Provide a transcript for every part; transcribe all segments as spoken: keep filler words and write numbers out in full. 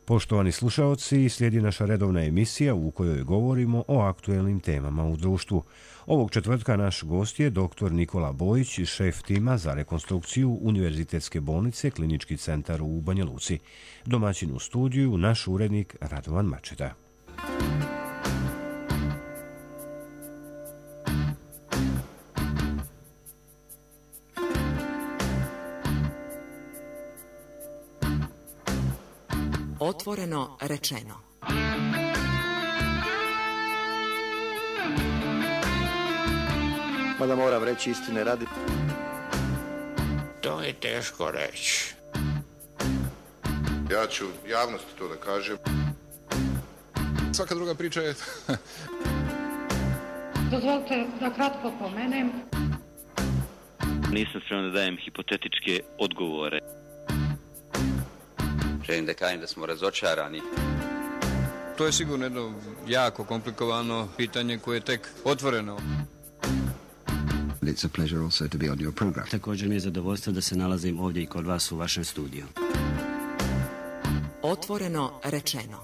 Poštovani slušaoci, slijedi naša redovna emisija u kojoj govorimo o aktuelnim temama u društvu. Ovog četvrtka naš gost je doktor Nikola Bojić, šef tima za rekonstrukciju Univerzitetske bolnice Klinički centar u Banja Luci. Domaćin u studiju naš urednik Radovan Mačeta. Otvoreno rečeno. Mada moram reći istine radi. To je teško reći. Ja ću javnosti to da kažem. Svaka druga priča je... Dozvolite da kratko pomenem. Nisam spreman da dajem hipotetičke odgovore. Želim da kažem da smo razočarani. To je sigurno jedno jako komplikovano pitanje koje je tek otvoreno. It's a pleasure also to be on your program. Također mi je zadovoljstvo da se nalazim ovdje i kod vas u vašem studiju. Otvoreno rečeno.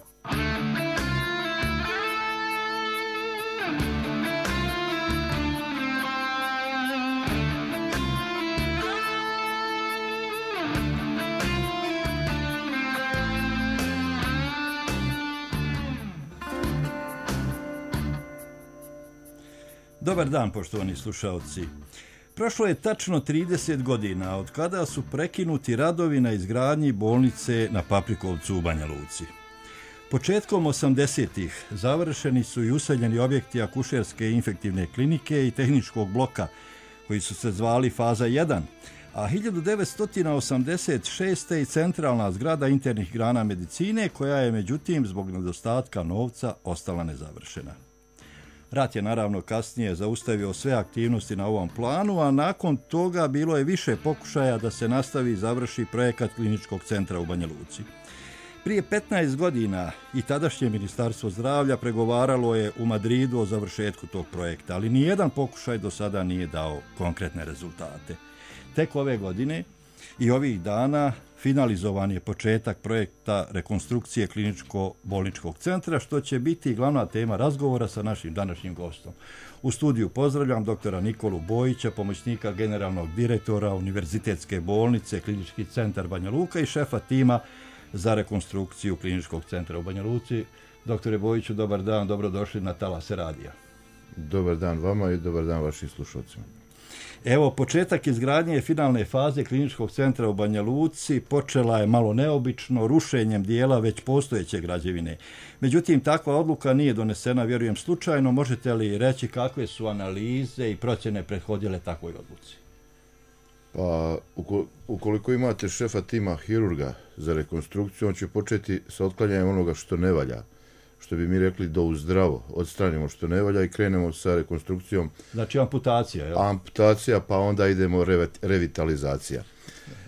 Dobar dan, poštovani slušaoci. Prošlo je tačno trideset godina od kada su prekinuti radovi na izgradnji bolnice na Paprikovcu u Banja Luci. Početkom osamdesetih završeni su i useljeni objekti akušerske infektivne klinike i tehničkog bloka, koji su se zvali faza jedan, a hiljadu devetsto osamdeset šeste i centralna zgrada internih grana medicine, koja je međutim zbog nedostatka novca ostala nezavršena. Rat je naravno kasnije zaustavio sve aktivnosti na ovom planu, a nakon toga bilo je više pokušaja da se nastavi i završi projekat Kliničkog centra u Banja Luci. Prije petnaest godina i tadašnje Ministarstvo zdravlja pregovaralo je u Madridu o završetku tog projekta, ali nijedan pokušaj do sada nije dao konkretne rezultate. Tek ove godine i ovih dana finalizovan je početak projekta rekonstrukcije kliničko-bolničkog centra, što će biti glavna tema razgovora sa našim današnjim gostom. U studiju pozdravljam doktora Nikolu Bojića, pomoćnika generalnog direktora Univerzitetske bolnice Klinički centar Banja Luka i šefa tima za rekonstrukciju Kliničkog centra u Banja Luci. Doktore Bojiću, dobar dan, dobrodošli na Talase radija. Dobar dan vama i dobar dan vašim slušalcima. Evo, početak izgradnje finalne faze Kliničkog centra u Banja Luci počela je malo neobično, rušenjem dijela već postojeće građevine. Međutim, takva odluka nije donesena, vjerujem, slučajno. Možete li reći kakve su analize i procjene prethodile takvoj odluci? Pa, ukoliko imate šefa tima hirurga za rekonstrukciju, on će početi sa otklanjanjem onoga što ne valja. Što bi mi rekli do uzdravo, odstranimo što ne valja i krenemo sa rekonstrukcijom. Znači amputacija, jel? Amputacija, pa onda idemo re, revitalizacija.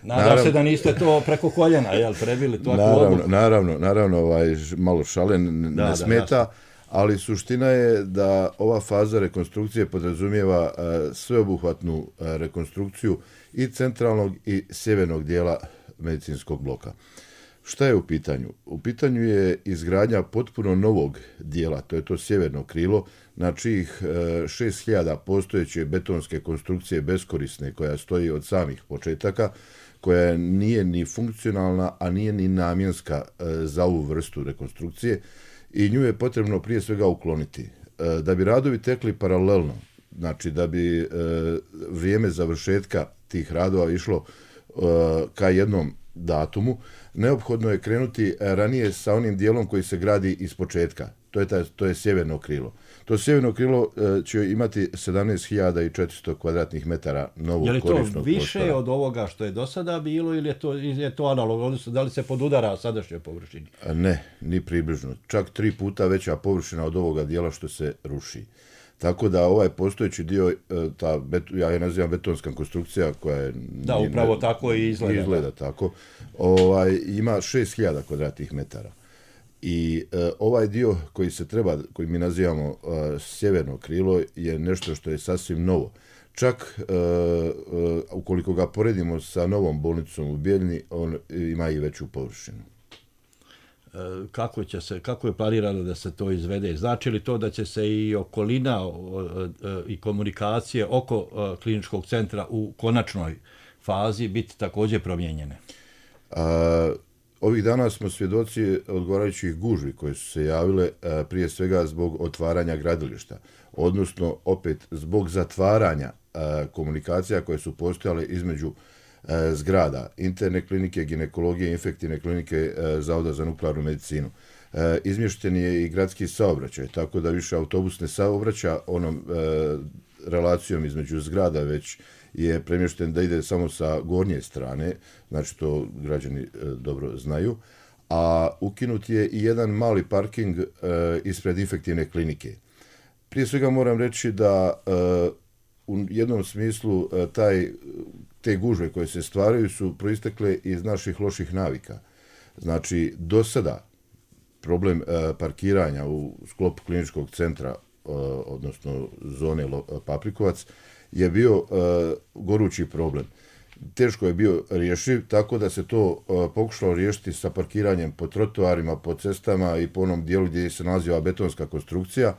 Nadam naravno, se da niste to preko koljena, jel, prebili to naravno, naravno, naravno, ovaj, malo šalen, ne da, smeta, da, ali suština je da ova faza rekonstrukcije podrazumijeva uh, sveobuhvatnu uh, rekonstrukciju i centralnog i sjevernog dijela medicinskog bloka. Šta je u pitanju? U pitanju je izgradnja potpuno novog dijela, to je to sjeverno krilo, na čijih šest hiljada postojeće betonske konstrukcije beskorisne, koja stoji od samih početaka, koja nije ni funkcionalna, a nije ni namjenska za ovu vrstu rekonstrukcije i nju je potrebno prije svega ukloniti. Da bi radovi tekli paralelno, znači da bi vrijeme završetka tih radova išlo ka jednom datumu, neophodno je krenuti ranije sa onim dijelom koji se gradi iz početka. To je, taj, to je sjeverno krilo. To sjeverno krilo e, će imati sedamnaest hiljada četiristo kvadratnih metara novog korisnog prostora. Je li to više prostora od ovoga što je do sada bilo ili je to, je to analogno? Odnosno, da li se podudara sadašnjoj površini? Ne, ni približno. Čak tri puta veća površina od ovoga dijela što se ruši. Tako da ovaj postojeći dio, ta bet, ja je nazivam betonska konstrukcija koja je... Da, upravo ne, tako i izgleda. Izgleda tako. Ovaj, ima šest hiljada kvadratnih metara. I e, ovaj dio koji se treba, koji mi nazivamo e, sjeverno krilo, je nešto što je sasvim novo. Čak e, e, ukoliko ga poredimo sa novom bolnicom u Bijeljni, on ima i veću površinu. kako će se, kako je planirano da se to izvede? Znači li to da će se i okolina i komunikacije oko kliničkog centra u konačnoj fazi biti također promijenjene? A, ovih dana smo svjedoci odgovarajućih gužvi koje su se javile a, prije svega zbog otvaranja gradilišta, odnosno opet zbog zatvaranja a, komunikacija koje su postojale između a, zgrada, interne klinike, ginekologije, infektivne klinike, a, Zavoda za nuklearnu medicinu. A, izmješten je i gradski saobraćaj, tako da više autobus ne saobraća onom a, relacijom između zgrada, već je premješten da ide samo sa gornje strane, znači to građani e, dobro znaju, a ukinut je i jedan mali parking e, ispred infektivne klinike. Prije svega moram reći da e, u jednom smislu e, taj, te gužve koje se stvaraju su proistekle iz naših loših navika. Znači, do sada problem e, parkiranja u sklopu kliničkog centra, e, odnosno zone Paprikovac, je bio uh, gorući problem. Teško je bio rješiv, tako da se to uh, pokušalo riješiti sa parkiranjem po trotoarima, po cestama i po onom dijelu gdje se nalazi ova betonska konstrukcija,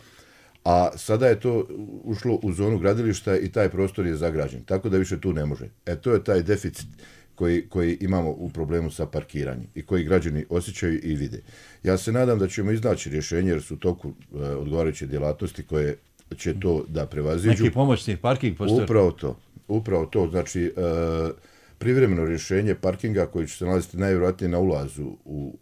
a sada je to ušlo u zonu gradilišta i taj prostor je zagrađen, tako da više tu ne može. E to je taj deficit koji, koji imamo u problemu sa parkiranjem i koji građani osjećaju i vide. Ja se nadam da ćemo iznaći rješenje jer su u toku uh, odgovarajuće djelatnosti koje će to da prevaziđu. Neki pomoćni parking postoji? Upravo to. Upravo to. Znači, e, privremeno rješenje parkinga koji će se nalaziti najvjerojatnije na ulazu u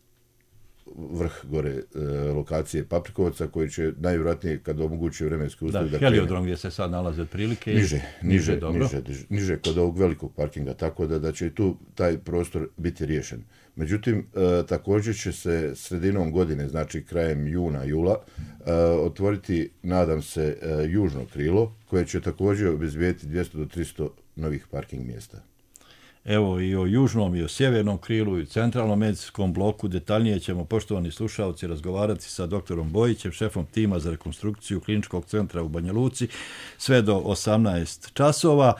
vrh gore e, lokacije Paprikovca, koji će najvjerojatnije, kad omogući vremenske uslovi da, da krene. Heliodrom gdje se sad nalaze otprilike. Niže, niže, niže, dobro. niže, niže kod ovog velikog parkinga, tako da, da će tu taj prostor biti riješen. Međutim, e, također će se sredinom godine, znači krajem juna, jula, e, otvoriti, nadam se, e, južno krilo, koje će također obezbijediti dvjesto do tristo novih parking mjesta. Evo i o južnom i o sjevernom krilu i centralnom medicinskom bloku detaljnije ćemo, poštovani slušalci, razgovarati sa doktorom Bojićem, šefom tima za rekonstrukciju kliničkog centra u Banja Luci, sve do osamnaest časova.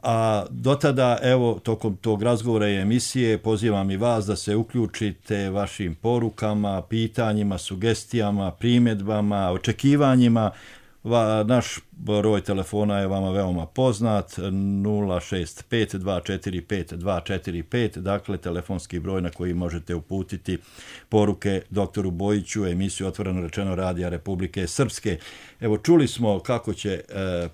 A do tada, evo, tokom tog razgovora i emisije pozivam i vas da se uključite vašim porukama, pitanjima, sugestijama, primjedbama, očekivanjima. Va, naš broj telefona je vama veoma poznat, nula šest pet dva četiri pet dva četiri pet, dakle telefonski broj na koji možete uputiti poruke doktoru Bojiću, emisiju Otvoreno rečeno Radija Republike Srpske. Evo, čuli smo kako će e,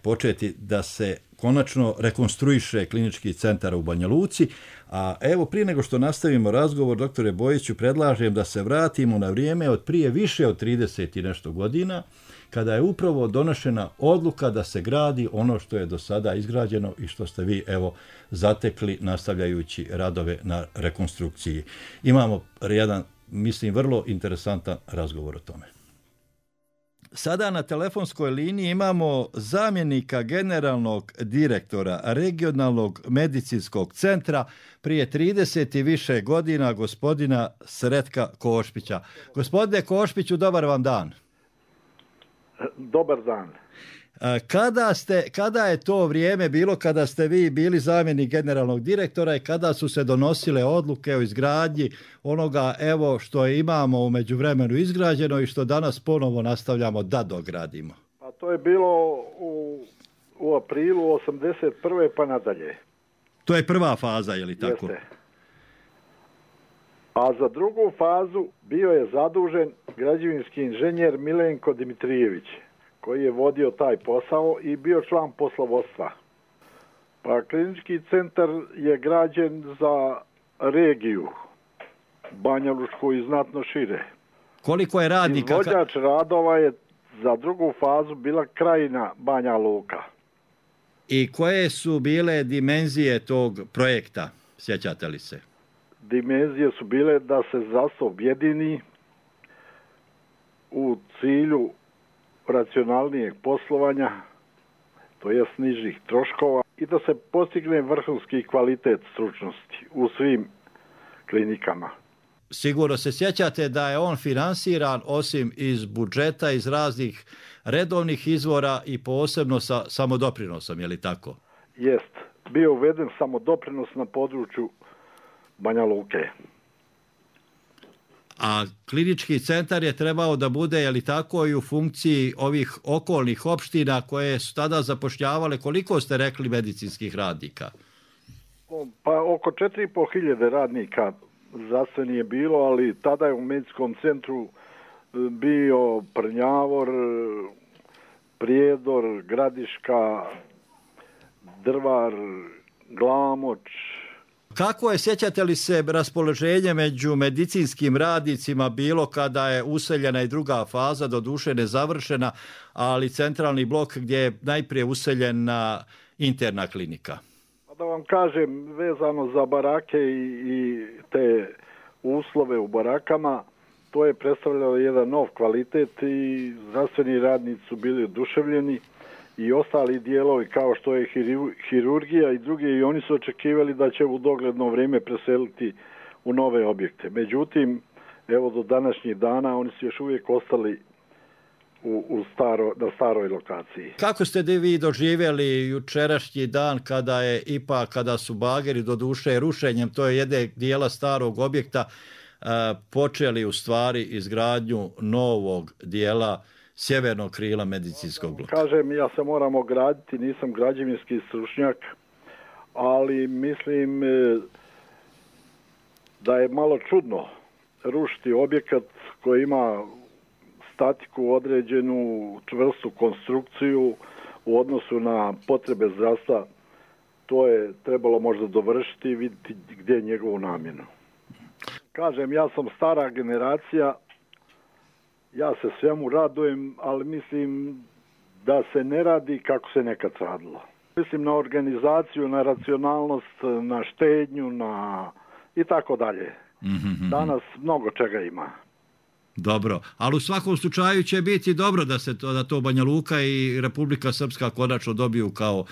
početi da se konačno rekonstruiše klinički centar u Banja Luci, a evo prije nego što nastavimo razgovor, doktore Bojiću, predlažem da se vratimo na vrijeme od prije više od trideset i nešto godina, kada je upravo donošena odluka da se gradi ono što je do sada izgrađeno i što ste vi, evo, zatekli nastavljajući radove na rekonstrukciji. Imamo jedan, mislim, vrlo interesantan razgovor o tome. Sada na telefonskoj liniji imamo zamjenika generalnog direktora regionalnog medicinskog centra prije trideset i više godina, gospodina Sretka Košpića. Gospodine Košpiću, dobar vam dan. Dobar dan. Kada, ste, kada je to vrijeme bilo kada ste vi bili zamjenik generalnog direktora i kada su se donosile odluke o izgradnji onoga, evo, što imamo u međuvremenu izgrađeno i što danas ponovo nastavljamo da dogradimo? Pa to je bilo u, u aprilu osamdeset prve pa nadalje. To je prva faza, je li tako? Jeste. A za drugu fazu bio je zadužen građevinski inženjer Milenko Dimitrijević, koji je vodio taj posao i bio član poslovodstva. Pa klinički centar je građen za regiju, Banja Lučku i znatno šire. Koliko je radnika? Izvođač radova je za drugu fazu bila Krajina Banja Luka. I koje su bile dimenzije tog projekta, sjećate li se? Dimenzije su bile da se zdravstvo objedini u cilju racionalnijeg poslovanja, to jest nižih troškova, i da se postigne vrhunski kvalitet stručnosti u svim klinikama. Sigurno se sjećate da je on finansiran osim iz budžeta, iz raznih redovnih izvora i posebno sa samodoprinosom, je li tako? Jest. Bio uveden samodoprinos na području Banja Luke. a klinički centar je trebao da bude, je li tako, i u funkciji ovih okolnih opština koje su tada zapošljavale, koliko ste rekli, medicinskih radnika? Pa oko četiri i pol hiljade radnika zdravstveni je bilo, ali tada je u medicinskom centru bio Prnjavor, Prijedor, Gradiška, Drvar, Glamoč. Kako je, sjećate li se, raspoloženje među medicinskim radnicima bilo kada je useljena i druga faza, doduše nezavršena, ali centralni blok gdje je najprije useljena interna klinika? Da vam kažem, vezano za barake i, i te uslove u barakama, to je predstavljalo jedan nov kvalitet i zdravstveni radnici su bili oduševljeni i ostali dijelovi kao što je hirurgija i drugi, i oni su očekivali da će u dogledno vrijeme preseliti u nove objekte. Međutim, evo do današnjih dana oni su još uvijek ostali u, u staro, na staroj lokaciji. Kako ste vi doživjeli jučerašnji dan kada je ipak, kada su bageri do duše rušenjem, to je jedne dijela starog objekta, počeli u stvari izgradnju novog dijela sjevernog krila medicinskog bloka? Kažem, ja se moram ograditi, nisam građevinski stručnjak, ali mislim da je malo čudno rušiti objekat koji ima statiku određenu, čvrstu konstrukciju u odnosu na potrebe zdravstva. To je trebalo možda dovršiti i vidjeti gdje je njegovu namjenu. Kažem, ja sam stara generacija, ja se svemu radujem, ali mislim da se ne radi kako se nekad radilo. Mislim na organizaciju, na racionalnost, na štednju, na i tako dalje. Danas mnogo čega ima. Dobro, ali u svakom slučaju će biti dobro da se to, da to Banja Luka i Republika Srpska konačno dobiju kao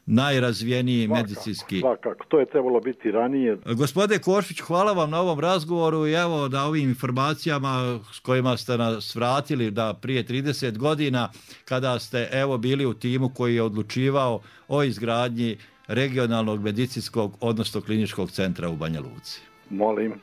najrazvijeniji svakako, medicinski. Svakako, to je trebalo biti ranije. Gospodine Košpić, hvala vam na ovom razgovoru i evo na ovim informacijama s kojima ste nas vratili da prije trideset godina kada ste evo bili u timu koji je odlučivao o izgradnji regionalnog medicinskog, odnosno kliničkog centra u Banja Luci. Molim.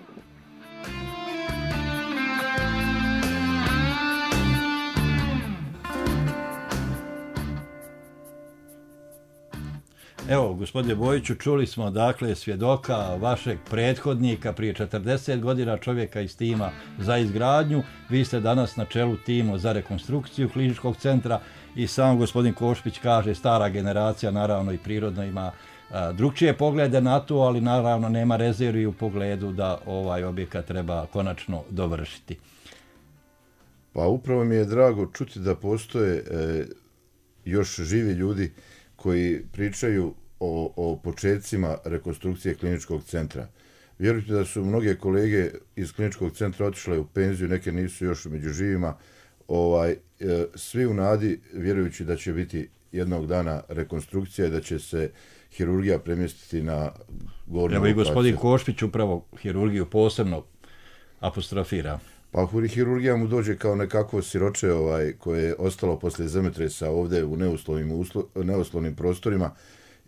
Evo, gospodine Bojiću, čuli smo dakle svjedoka vašeg prethodnika prije četrdeset godina, čovjeka iz tima za izgradnju. Vi ste danas na čelu tima za rekonstrukciju kliničkog centra i sam gospodin Košpić kaže stara generacija naravno i prirodno ima a, drugčije poglede na to, ali naravno nema rezervi u pogledu da ovaj objekat treba konačno dovršiti. Pa upravo mi je drago čuti da postoje e, još živi ljudi koji pričaju o, o početcima rekonstrukcije kliničkog centra. Vjerujte da su mnoge kolege iz kliničkog centra otišle u penziju, neke nisu još među živima, ovaj, e, svi u nadi vjerujući da će biti jednog dana rekonstrukcija i da će se hirurgija premjestiti na gornju lokaciju. Evo i gospodin Košpić upravo hirurgiju posebno apostrofira. Pa hirurgija mu dođe kao nekako siroče ovaj, koje je ostalo poslije zemljotresa ovdje u neuslovnim, uslo, neuslovnim prostorima.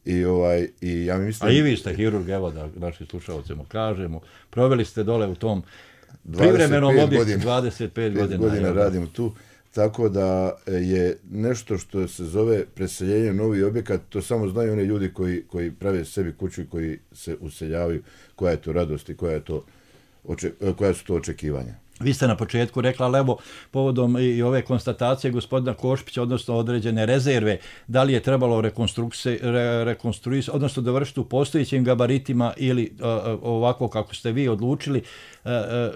I, ovaj, i ja mislim... A i vi ste hirurg, evo da našim slušalcima kažemo. Proveli ste dole u tom privremenom objektu dvadeset pet godina. godina radim tu. Tako da je nešto što se zove preseljenje novi objekat, to samo znaju oni ljudi koji, koji prave sebi kuću i koji se useljavaju, koja je to radost i koja, je to, koja su to očekivanja. Vi ste na početku rekla, ali evo, povodom i ove konstatacije gospodina Košpića, odnosno određene rezerve, da li je trebalo rekonstruisati, odnosno dovršiti u postojećim gabaritima ili uh, ovako kako ste vi odlučili, uh,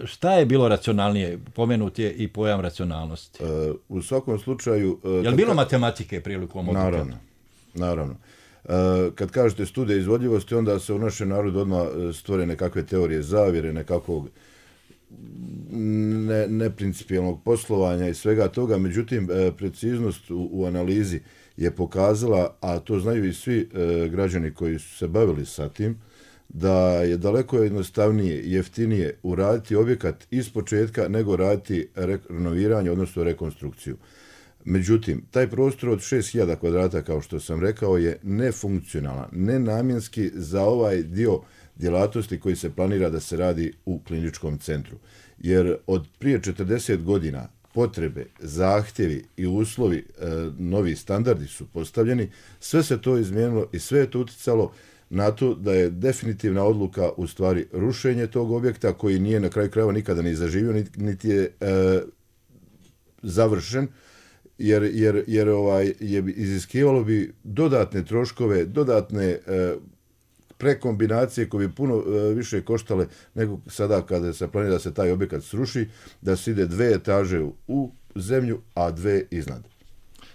šta je bilo racionalnije? Pomenut je i pojam racionalnosti. Uh, u svakom slučaju... Uh, je li bilo matematike prilikom odluka? Naravno, naravno. Uh, kad kažete studija izvodljivosti, onda se u našem narodu odmah stvore nekakve teorije zavjere, nekakvog ne, neprincipijalnog poslovanja i svega toga, međutim preciznost u, u analizi je pokazala, a to znaju i svi e, građani koji su se bavili sa tim, da je daleko jednostavnije i jeftinije uraditi objekat iz početka nego raditi renoviranje, odnosno rekonstrukciju. Međutim, taj prostor od šest hiljada kvadrata, kao što sam rekao, je nefunkcionalan, nenamjenski za ovaj dio djelatnosti koji se planira da se radi u kliničkom centru. jer od prije četrdeset godina potrebe, zahtjevi i uslovi, e, novi standardi su postavljeni, sve se to izmijenilo i sve je to utjecalo na to da je definitivna odluka u stvari rušenje tog objekta koji nije na kraju krajeva nikada ni zaživio, niti je e, završen, jer, jer, jer ovaj, je iziskivalo bi dodatne troškove, dodatne e, prekombinacije koje bi puno e, više koštale nego sada kada se planira da se taj objekat sruši, da se ide dve etaže u, u zemlju, a dve iznad.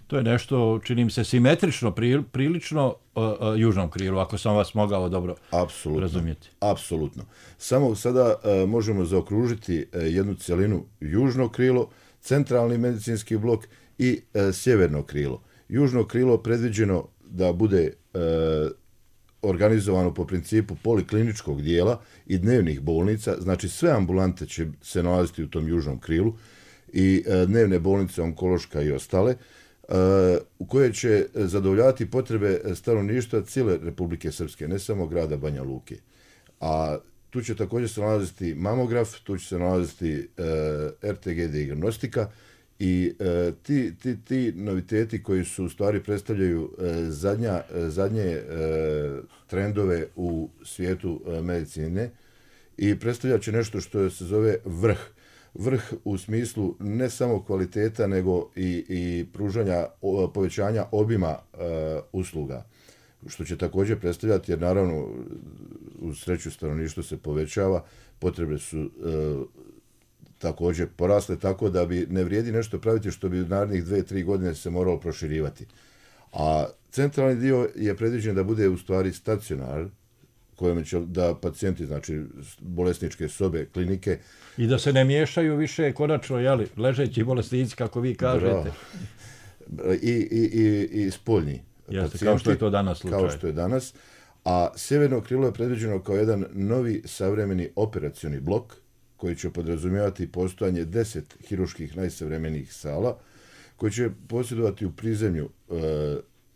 To je nešto, čini mi se, simetrično, pri, prilično uh, uh, južnom krilu, ako sam vas mogao dobro apsolutno, razumjeti. Apsolutno. Samo sada uh, možemo zaokružiti uh, jednu cjelinu južno krilo, centralni medicinski blok i uh, sjeverno krilo. Južno krilo predviđeno da bude uh, organizovano po principu polikliničkog dijela i dnevnih bolnica, znači sve ambulante će se nalaziti u tom južnom krilu i uh, dnevne bolnice, onkološka i ostale, u koje će zadovoljavati potrebe stanovništva cijele Republike Srpske, ne samo grada Banja Luke. A tu će također se nalaziti mamograf, tu će se nalaziti uh, R T G dijagnostika i uh, ti, ti, ti noviteti koji su u stvari predstavljaju uh, zadnja, uh, zadnje uh, trendove u svijetu uh, medicine i predstavljat će nešto što se zove vrh. Vrh u smislu ne samo kvaliteta, nego i, i pružanja, o, povećanja obima e, usluga, što će također predstavljati, jer naravno u sreću stanovništvo se povećava, potrebe su e, također porasle, tako da bi ne vrijedi nešto praviti što bi u narednih dve, tri godine se moralo proširivati. A centralni dio je predviđen da bude u stvari stacionar, kojom će da pacijenti, znači bolesničke sobe, klinike... I da se ne miješaju više konačno, jeli, ležeći bolesnici, kako vi kažete. I, i, i, i spoljni Jeste, pacijenti. Kao što je to danas slučaj. Kao što je danas. A sjeverno krilo je predviđeno kao jedan novi savremeni operacioni blok, koji će podrazumijevati postojanje deset hiruških najsavremenijih sala, koji će posjedovati u prizemlju e,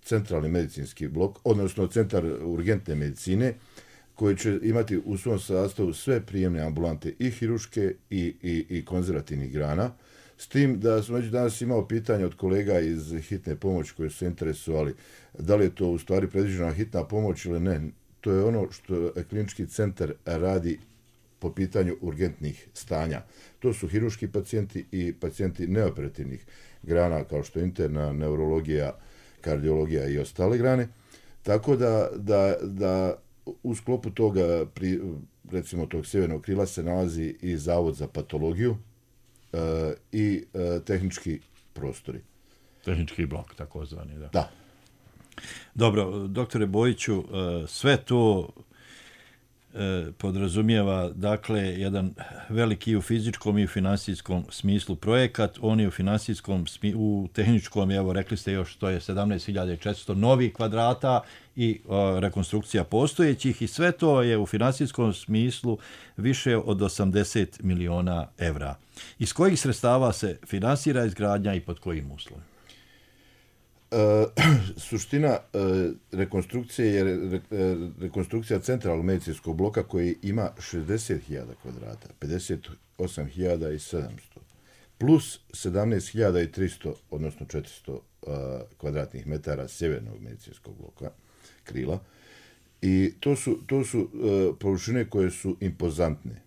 centralni medicinski blok, odnosno centar urgentne medicine, koji će imati u svom sastavu sve prijemne ambulante i hiruške i, i, i konzervativnih grana, s tim da smo već danas imao pitanje od kolega iz hitne pomoći koji su se interesovali da li je to u stvari predviđena hitna pomoć ili ne. To je ono što klinički centar radi po pitanju urgentnih stanja. To su hiruški pacijenti i pacijenti neoperativnih grana kao što je interna, neurologija, kardiologija i ostale grane. Tako da, da, da u sklopu toga, pri, recimo tog sjevernog krila, se nalazi i Zavod za patologiju e, i e, tehnički prostori. Tehnički blok, takozvani, da. Da. Dobro, doktore Bojiću, sve to podrazumijeva, dakle, jedan veliki u fizičkom i u finansijskom smislu projekat. On je u finansijskom, u tehničkom, evo, rekli ste još, to je sedamnaest hiljada četiristo novih kvadrata i o, rekonstrukcija postojećih i sve to je u finansijskom smislu više od osamdeset miliona evra. Iz kojih sredstava se finansira izgradnja i pod kojim uslovima? E, suština e, rekonstrukcije je re, e, rekonstrukcija centralnog medicinskog bloka koji ima šezdeset hiljada kvadrata, pedeset osam hiljada sedamsto, plus sedamnaest hiljada tristo, odnosno četiristo e, kvadratnih metara sjevernog medicinskog bloka, krila. I to su, to su e, površine koje su impozantne.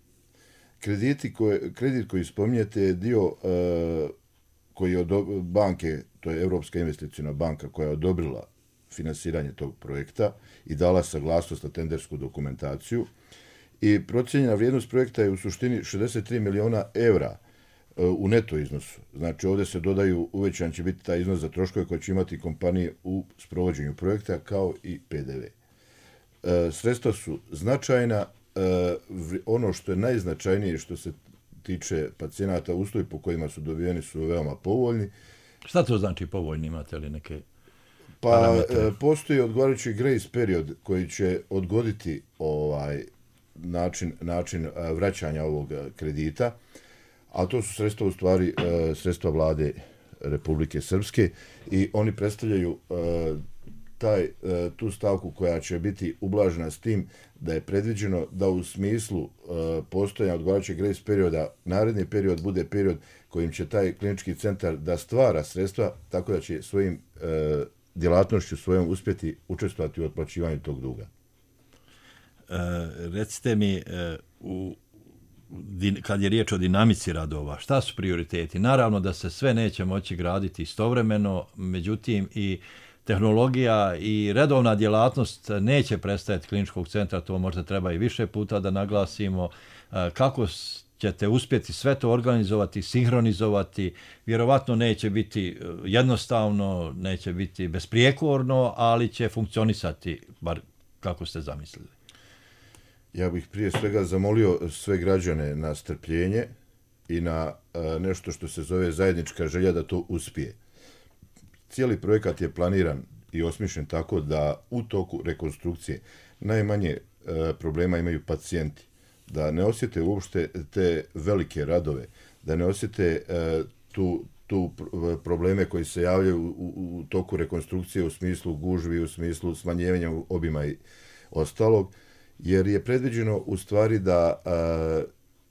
Krediti koje, kredit koji spominjete je dio e, koji je od banke, to je Europska investicijna banka koja je odobrila finansiranje tog projekta i dala saglasnost na tendersku dokumentaciju. I procijenjena vrijednost projekta je u suštini šezdeset tri miliona evra u neto iznosu. Znači ovdje se dodaju, uvećan će biti taj iznos za troškove koje će imati kompanije u sprovođenju projekta kao i P D V. E, sredstva su značajna. E, ono što je najznačajnije što se tiče pacijenata, uslovi po kojima su dobijeni su veoma povoljni. Šta to znači povoljni? Imate li neke pa, parametre? Pa postoji odgovarajući grace period koji će odgoditi ovaj način, način vraćanja ovog kredita, a to su sredstva u stvari sredstva vlade Republike Srpske i oni predstavljaju taj, tu stavku koja će biti ublažena s tim da je predviđeno da u smislu postojanja odgovarajućeg grace perioda naredni period bude period kojim će taj klinički centar da stvara sredstva tako da će svojim djelatnošću svojom uspjeti učestvovati u otplaćivanju tog duga. E, recite mi, e, u, kad je riječ o dinamici radova, šta su prioriteti? Naravno da se sve neće moći graditi istovremeno, međutim i tehnologija i redovna djelatnost neće prestajati kliničkog centra, to možda treba i više puta da naglasimo. E, kako ćete uspjeti sve to organizovati, sinhronizovati, vjerovatno neće biti jednostavno, neće biti besprijekorno, ali će funkcionisati, bar kako ste zamislili. Ja bih prije svega zamolio sve građane na strpljenje i na a, nešto što se zove zajednička želja da to uspije. Cijeli projekat je planiran i osmišljen tako da u toku rekonstrukcije najmanje a, problema imaju pacijenti, da ne osjete uopšte te velike radove, da ne osjete a, tu, tu probleme koji se javljaju u, u, u toku rekonstrukcije u smislu gužvi, u smislu smanjivanja obima i ostalog, jer je predviđeno u stvari da a,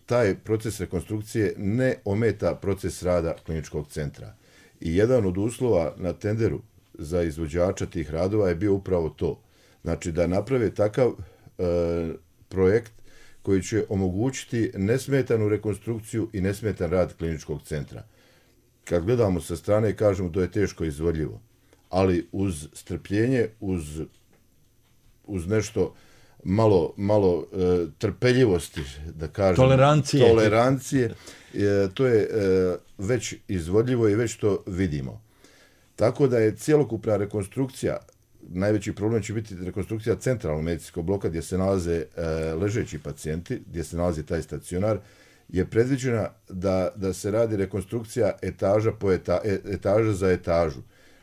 taj proces rekonstrukcije ne ometa proces rada kliničkog centra. I jedan od uslova na tenderu za izvođača tih radova je bio upravo to. Znači da naprave takav a, projekt koji će omogućiti nesmetanu rekonstrukciju i nesmetan rad kliničkog centra. Kad gledamo sa strane, kažemo to je teško izvodljivo, ali uz strpljenje, uz, uz nešto malo, malo e, trpeljivosti, da kažem, tolerancije, tolerancije e, to je e, već izvodljivo i već to vidimo. Tako da je cjelokupna rekonstrukcija, najveći problem će biti rekonstrukcija centralnog medicinskog bloka gdje se nalaze e, ležeći pacijenti, gdje se nalazi taj stacionar, je predviđena da, da se radi rekonstrukcija etaža po eta, etaža za etažu.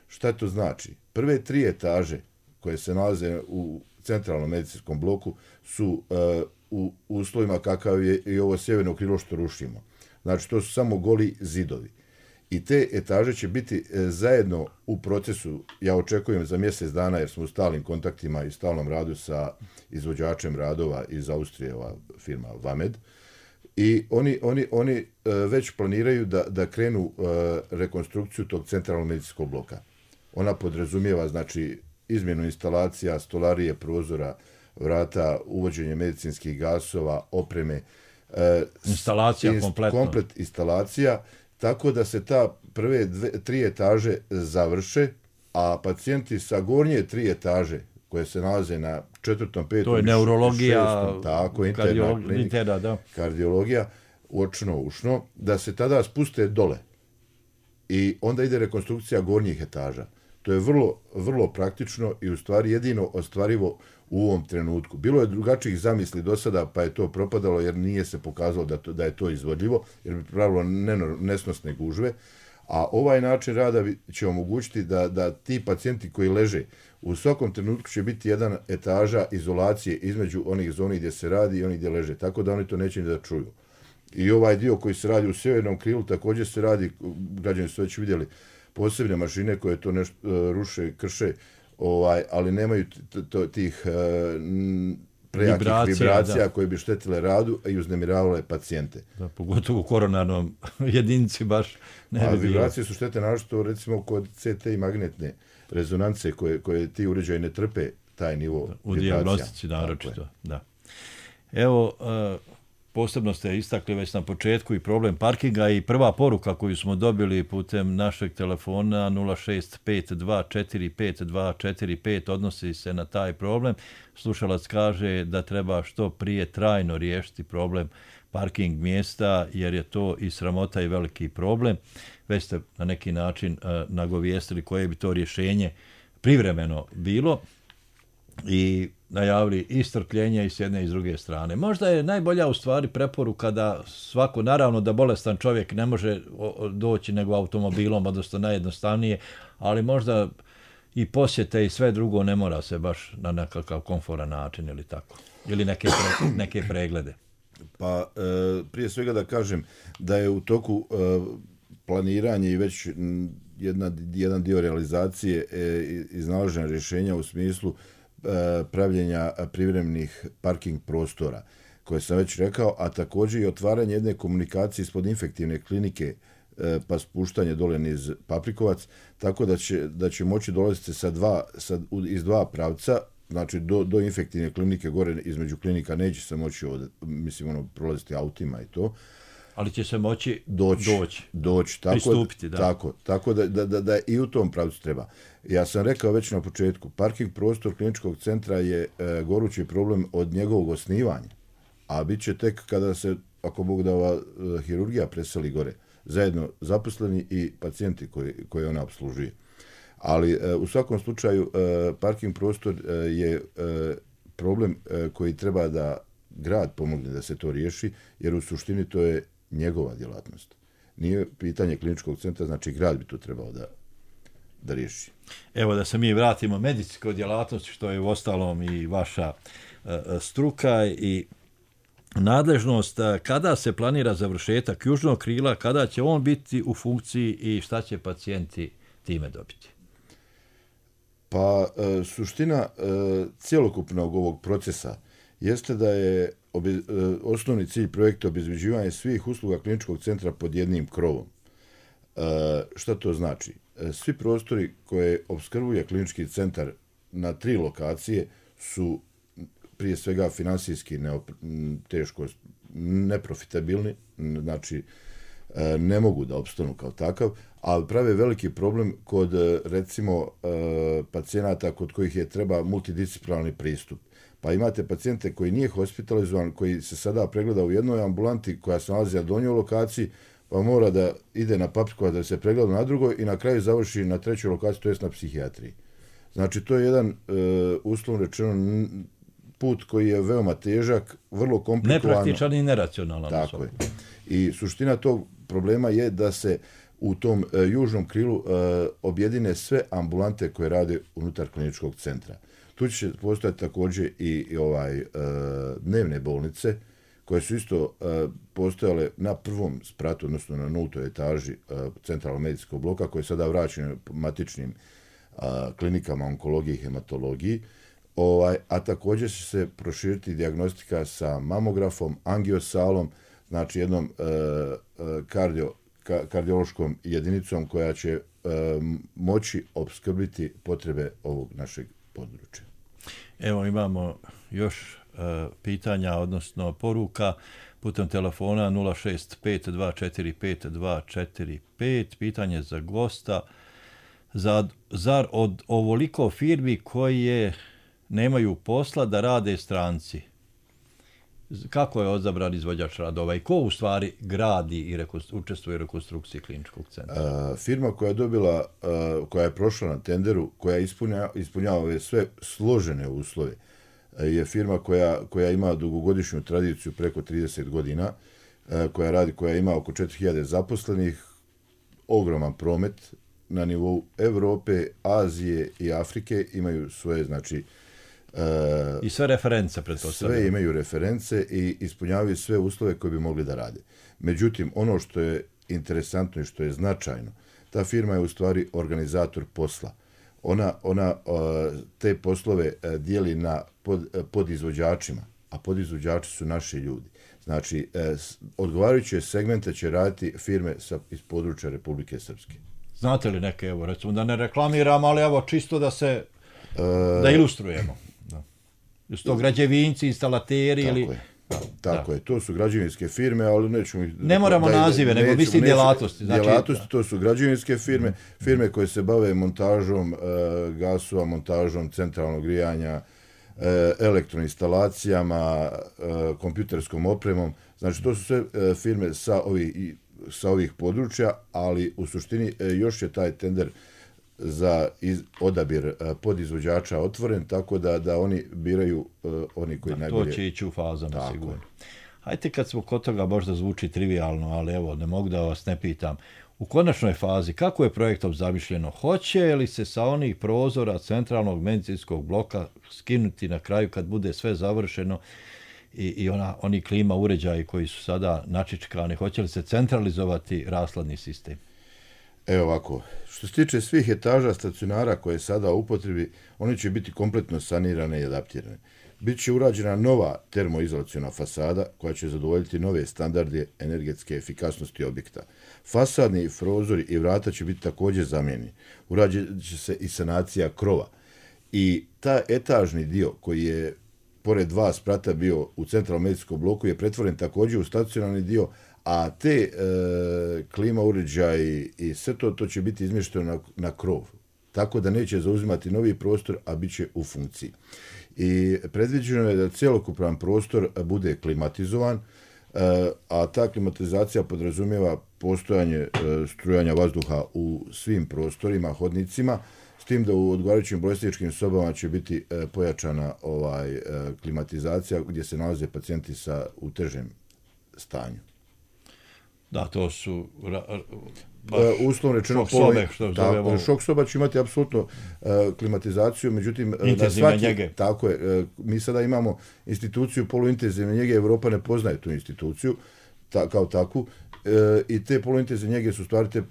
Šta to znači? Prve tri etaže koje se nalaze u centralnom medicinskom bloku su uh, u uslovima kakav je i ovo sjeverno krilo što rušimo. Znači, to su samo goli zidovi. I te etaže će biti uh, zajedno u procesu, ja očekujem za mjesec dana, jer smo u stalnim kontaktima i stalnom radu sa izvođačem radova iz Austrije, ova firma Vamed, i oni, oni, oni uh, već planiraju da, da krenu uh, rekonstrukciju tog centralnog medicinskog bloka. Ona podrazumijeva, znači, izmjenu instalacija, stolarije, prozora, vrata, uvođenje medicinskih gasova, opreme. E, instalacija inst, kompletno. Komplet instalacija, tako da se ta prve dve, tri etaže završe, a pacijenti sa gornje tri etaže, koje se nalaze na četvrtom, petom, to je neurologija, šestom, tako, interna kardiolog, klinika, interna, da. kardiologija, očno, ušno, da se tada spuste dole. I onda ide rekonstrukcija gornjih etaža. To je vrlo, vrlo praktično i u stvari jedino ostvarivo u ovom trenutku. Bilo je drugačijih zamisli do sada, pa je to propadalo jer nije se pokazalo da, to, da je to izvodljivo, jer bi pravilo nesnosne gužve. A ovaj način rada će omogućiti da, da ti pacijenti koji leže, u svakom trenutku će biti jedna etaža izolacije između onih zoni gdje se radi i onih gdje leže, tako da oni to neće ni da čuju. I ovaj dio koji se radi u sjevernom krilu također se radi, građani su već vidjeli, posebne mašine koje to nešto uh, ruše, krše, ovaj, ali nemaju t- t- tih uh, prejakih vibracija, vibracija koje bi štetile radu i uznemiravale pacijente. Da, pogotovo u koronarnom jedinici baš ne bi bilo. A vibracije su štete našto recimo kod C T i magnetne rezonance koje, koje ti uređaji ne trpe taj nivo u vibracija. U dijagnostici naročito, da. Evo, uh, posebno ste istakli već na početku i problem parkinga i prva poruka koju smo dobili putem našeg telefona nula šest pet dva četiri pet dva četiri pet odnosi se na taj problem. Slušalac kaže da treba što prije trajno riješiti problem parking mjesta jer je to i sramota i veliki problem. Već ste na neki način uh, nagovijestili koje bi to rješenje privremeno bilo i najavili i strpljenje i s jedne i s druge strane. Možda je najbolja u stvari preporuka da svako, naravno da bolestan čovjek ne može doći nego automobilom, odnosno najjednostavnije, ali možda i posjete i sve drugo ne mora se baš na nekakav komforan način ili tako. Ili neke, pre, neke preglede. Pa e, prije svega da kažem da je u toku e, planiranje i već m, jedna, jedan dio realizacije e, iznalaženja rješenja u smislu e, pravljenja privremenih parking prostora, koje sam već rekao, a također i otvaranje jedne komunikacije ispod infektivne klinike e, pa spuštanje dole niz Paprikovac, tako da će, da će moći dolaziti sa dva, sa, iz dva pravca, znači do, do infektivne klinike gore između klinika neće se moći od, mislim, ono, prolaziti autima i to. Ali će se moći doći. doći, doći tako, pristupiti. Da. Tako, tako da, da, da, da i u tom pravcu treba. Ja sam rekao već na početku, parking prostor kliničkog centra je e, gorući problem od njegovog osnivanja, a bit će tek kada se, ako Bog da, ova e, hirurgija preseli gore, zajedno zaposleni i pacijenti koji, koji ona obslužuje. Ali e, u svakom slučaju e, parking prostor e, je e, problem e, koji treba da grad pomogne da se to riješi, jer u suštini to je njegova djelatnost. Nije pitanje kliničkog centra, znači grad bi to trebao da, da riješi. Evo da se mi vratimo medicinskoj djelatnosti, što je u ostalom i vaša uh, struka i nadležnost. Kada se planira završetak južnog krila, kada će on biti u funkciji i šta će pacijenti time dobiti? Pa e, suština e, cjelokupnog ovog procesa jeste da je obe, e, osnovni cilj projekta obezbeđivanje svih usluga kliničkog centra pod jednim krovom. E, šta to znači? E, svi prostori koje opskrbuje klinički centar na tri lokacije su prije svega finansijski neop, teško neprofitabilni, znači e, ne mogu da opstanu kao takav, ali prave veliki problem kod, recimo, e, pacijenata kod kojih je treba multidisciplinarni pristup. Pa imate pacijente koji nije hospitalizovan, koji se sada pregleda u jednoj ambulanti koja se nalazi na donjoj lokaciji, pa mora da ide na Paprikovac da se pregleda na drugoj i na kraju završi na trećoj lokaciji, to jest na psihijatriji. Znači, to je jedan, e, uslovno rečeno, put koji je veoma težak, vrlo komplikovan. Nepraktičan i neracionalan. Tako je. I suština tog problema je da se u tom e, južnom krilu e, objedine sve ambulante koje rade unutar kliničkog centra. Tu će postojati također i, i ovaj e, dnevne bolnice, koje su isto e, postojale na prvom spratu, odnosno na nultoj etaži e, centralnog medicinskog bloka, koje je sada vraćeno matičnim e, klinikama onkologije i hematologiji. Ovaj, a također će se proširiti dijagnostika sa mamografom, angiosalom, znači jednom e, kardio, ka, kardiološkom jedinicom koja će e, moći opskrbiti potrebe ovog našeg područja. Evo imamo još e, pitanja, odnosno poruka putem telefona nula šest pet dva četiri pet dva četiri pet. Pitanje za gosta. Za, zar od ovoliko firmi koje nemaju posla da rade stranci? Kako je odabran izvođač radova i ko u stvari gradi i učestvuje u rekonstrukciji kliničkog centra? Uh, firma koja je dobila, uh, koja je prošla na tenderu, koja ispunja, ispunjava ove sve složene uslove, uh, je firma koja, koja ima dugogodišnju tradiciju preko trideset godina, uh, koja radi, koja ima oko četiri hiljade zaposlenih, ogroman promet na nivou Evrope, Azije i Afrike, imaju svoje, znači, Uh, I sve reference, pretpostavljam. Sve imaju reference i ispunjavaju sve uslove koje bi mogli da rade. Međutim, ono što je interesantno i što je značajno, ta firma je u stvari organizator posla. Ona, ona uh, te poslove uh, dijeli na pod, uh, podizvođačima, a podizvođači su naši ljudi. Znači, uh, odgovarajuće segmente će raditi firme sa, iz područja Republike Srpske. Znate li neke, evo, recimo da ne reklamiram, ali evo, čisto da se, uh, da ilustrujemo. Su to građevinci, instalateri tako ili... Je. Tako da. je, to su građevinske firme, ali nećemo ih... Ne moramo da, nazive, nego neću, mislim djelatnosti. Znači, djelatnosti, to su građevinske firme, firme koje se bave montažom e, gasova, montažom centralnog grijanja, e, elektroinstalacijama, e, kompjuterskom opremom. Znači, to su sve e, firme sa ovih, sa ovih područja, ali u suštini e, još je taj tender za iz, odabir uh, podizvođača otvoren, tako da da oni biraju uh, oni koji da, najbolje... To će ići u fazama, sigurno. Hajde, kad smo kod toga, možda zvuči trivialno, ali evo, ne mogu da vas ne pitam. U konačnoj fazi, kako je projektom zamišljeno? Hoće li se sa onih prozora centralnog medicinskog bloka skinuti na kraju kad bude sve završeno i, i ona, oni klima uređaji koji su sada načičkani, hoće li se centralizovati rashladni sistem? Evo ovako, što se tiče svih etaža stacionara koje je sada u upotrebi, oni će biti kompletno sanirane i adaptirane. Biće urađena nova termoizolaciona fasada koja će zadovoljiti nove standarde energetske efikasnosti objekta. Fasadni prozori i vrata će biti također zamijenjeni. Urađit će se i sanacija krova. I ta etažni dio koji je pored dva sprata bio u centralnom medicinskom bloku je pretvoren također u stacionarni dio, a te e, klima uređaji i sve to, to će biti izmješteno na, na krov. Tako da neće zauzimati novi prostor, a bit će u funkciji. I predviđeno je da cjelokupan prostor bude klimatizovan, a ta klimatizacija podrazumijeva postojanje strujanja vazduha u svim prostorima, hodnicima, s tim da u odgovarajućim bolesničkim sobama će biti pojačana ovaj klimatizacija gdje se nalaze pacijenti sa u težem stanju. Da, to su Uh, uslovno rečeno šok sobe, što zovemo. Šok soba će imati apsolutno uh, klimatizaciju, međutim intenzivne svaki, njege. Tako je, uh, mi sada imamo instituciju poluintenzivne njege, Europa ne poznaje tu instituciju ta, kao takvu uh, i te poluintenzivne njege su stvari te uh,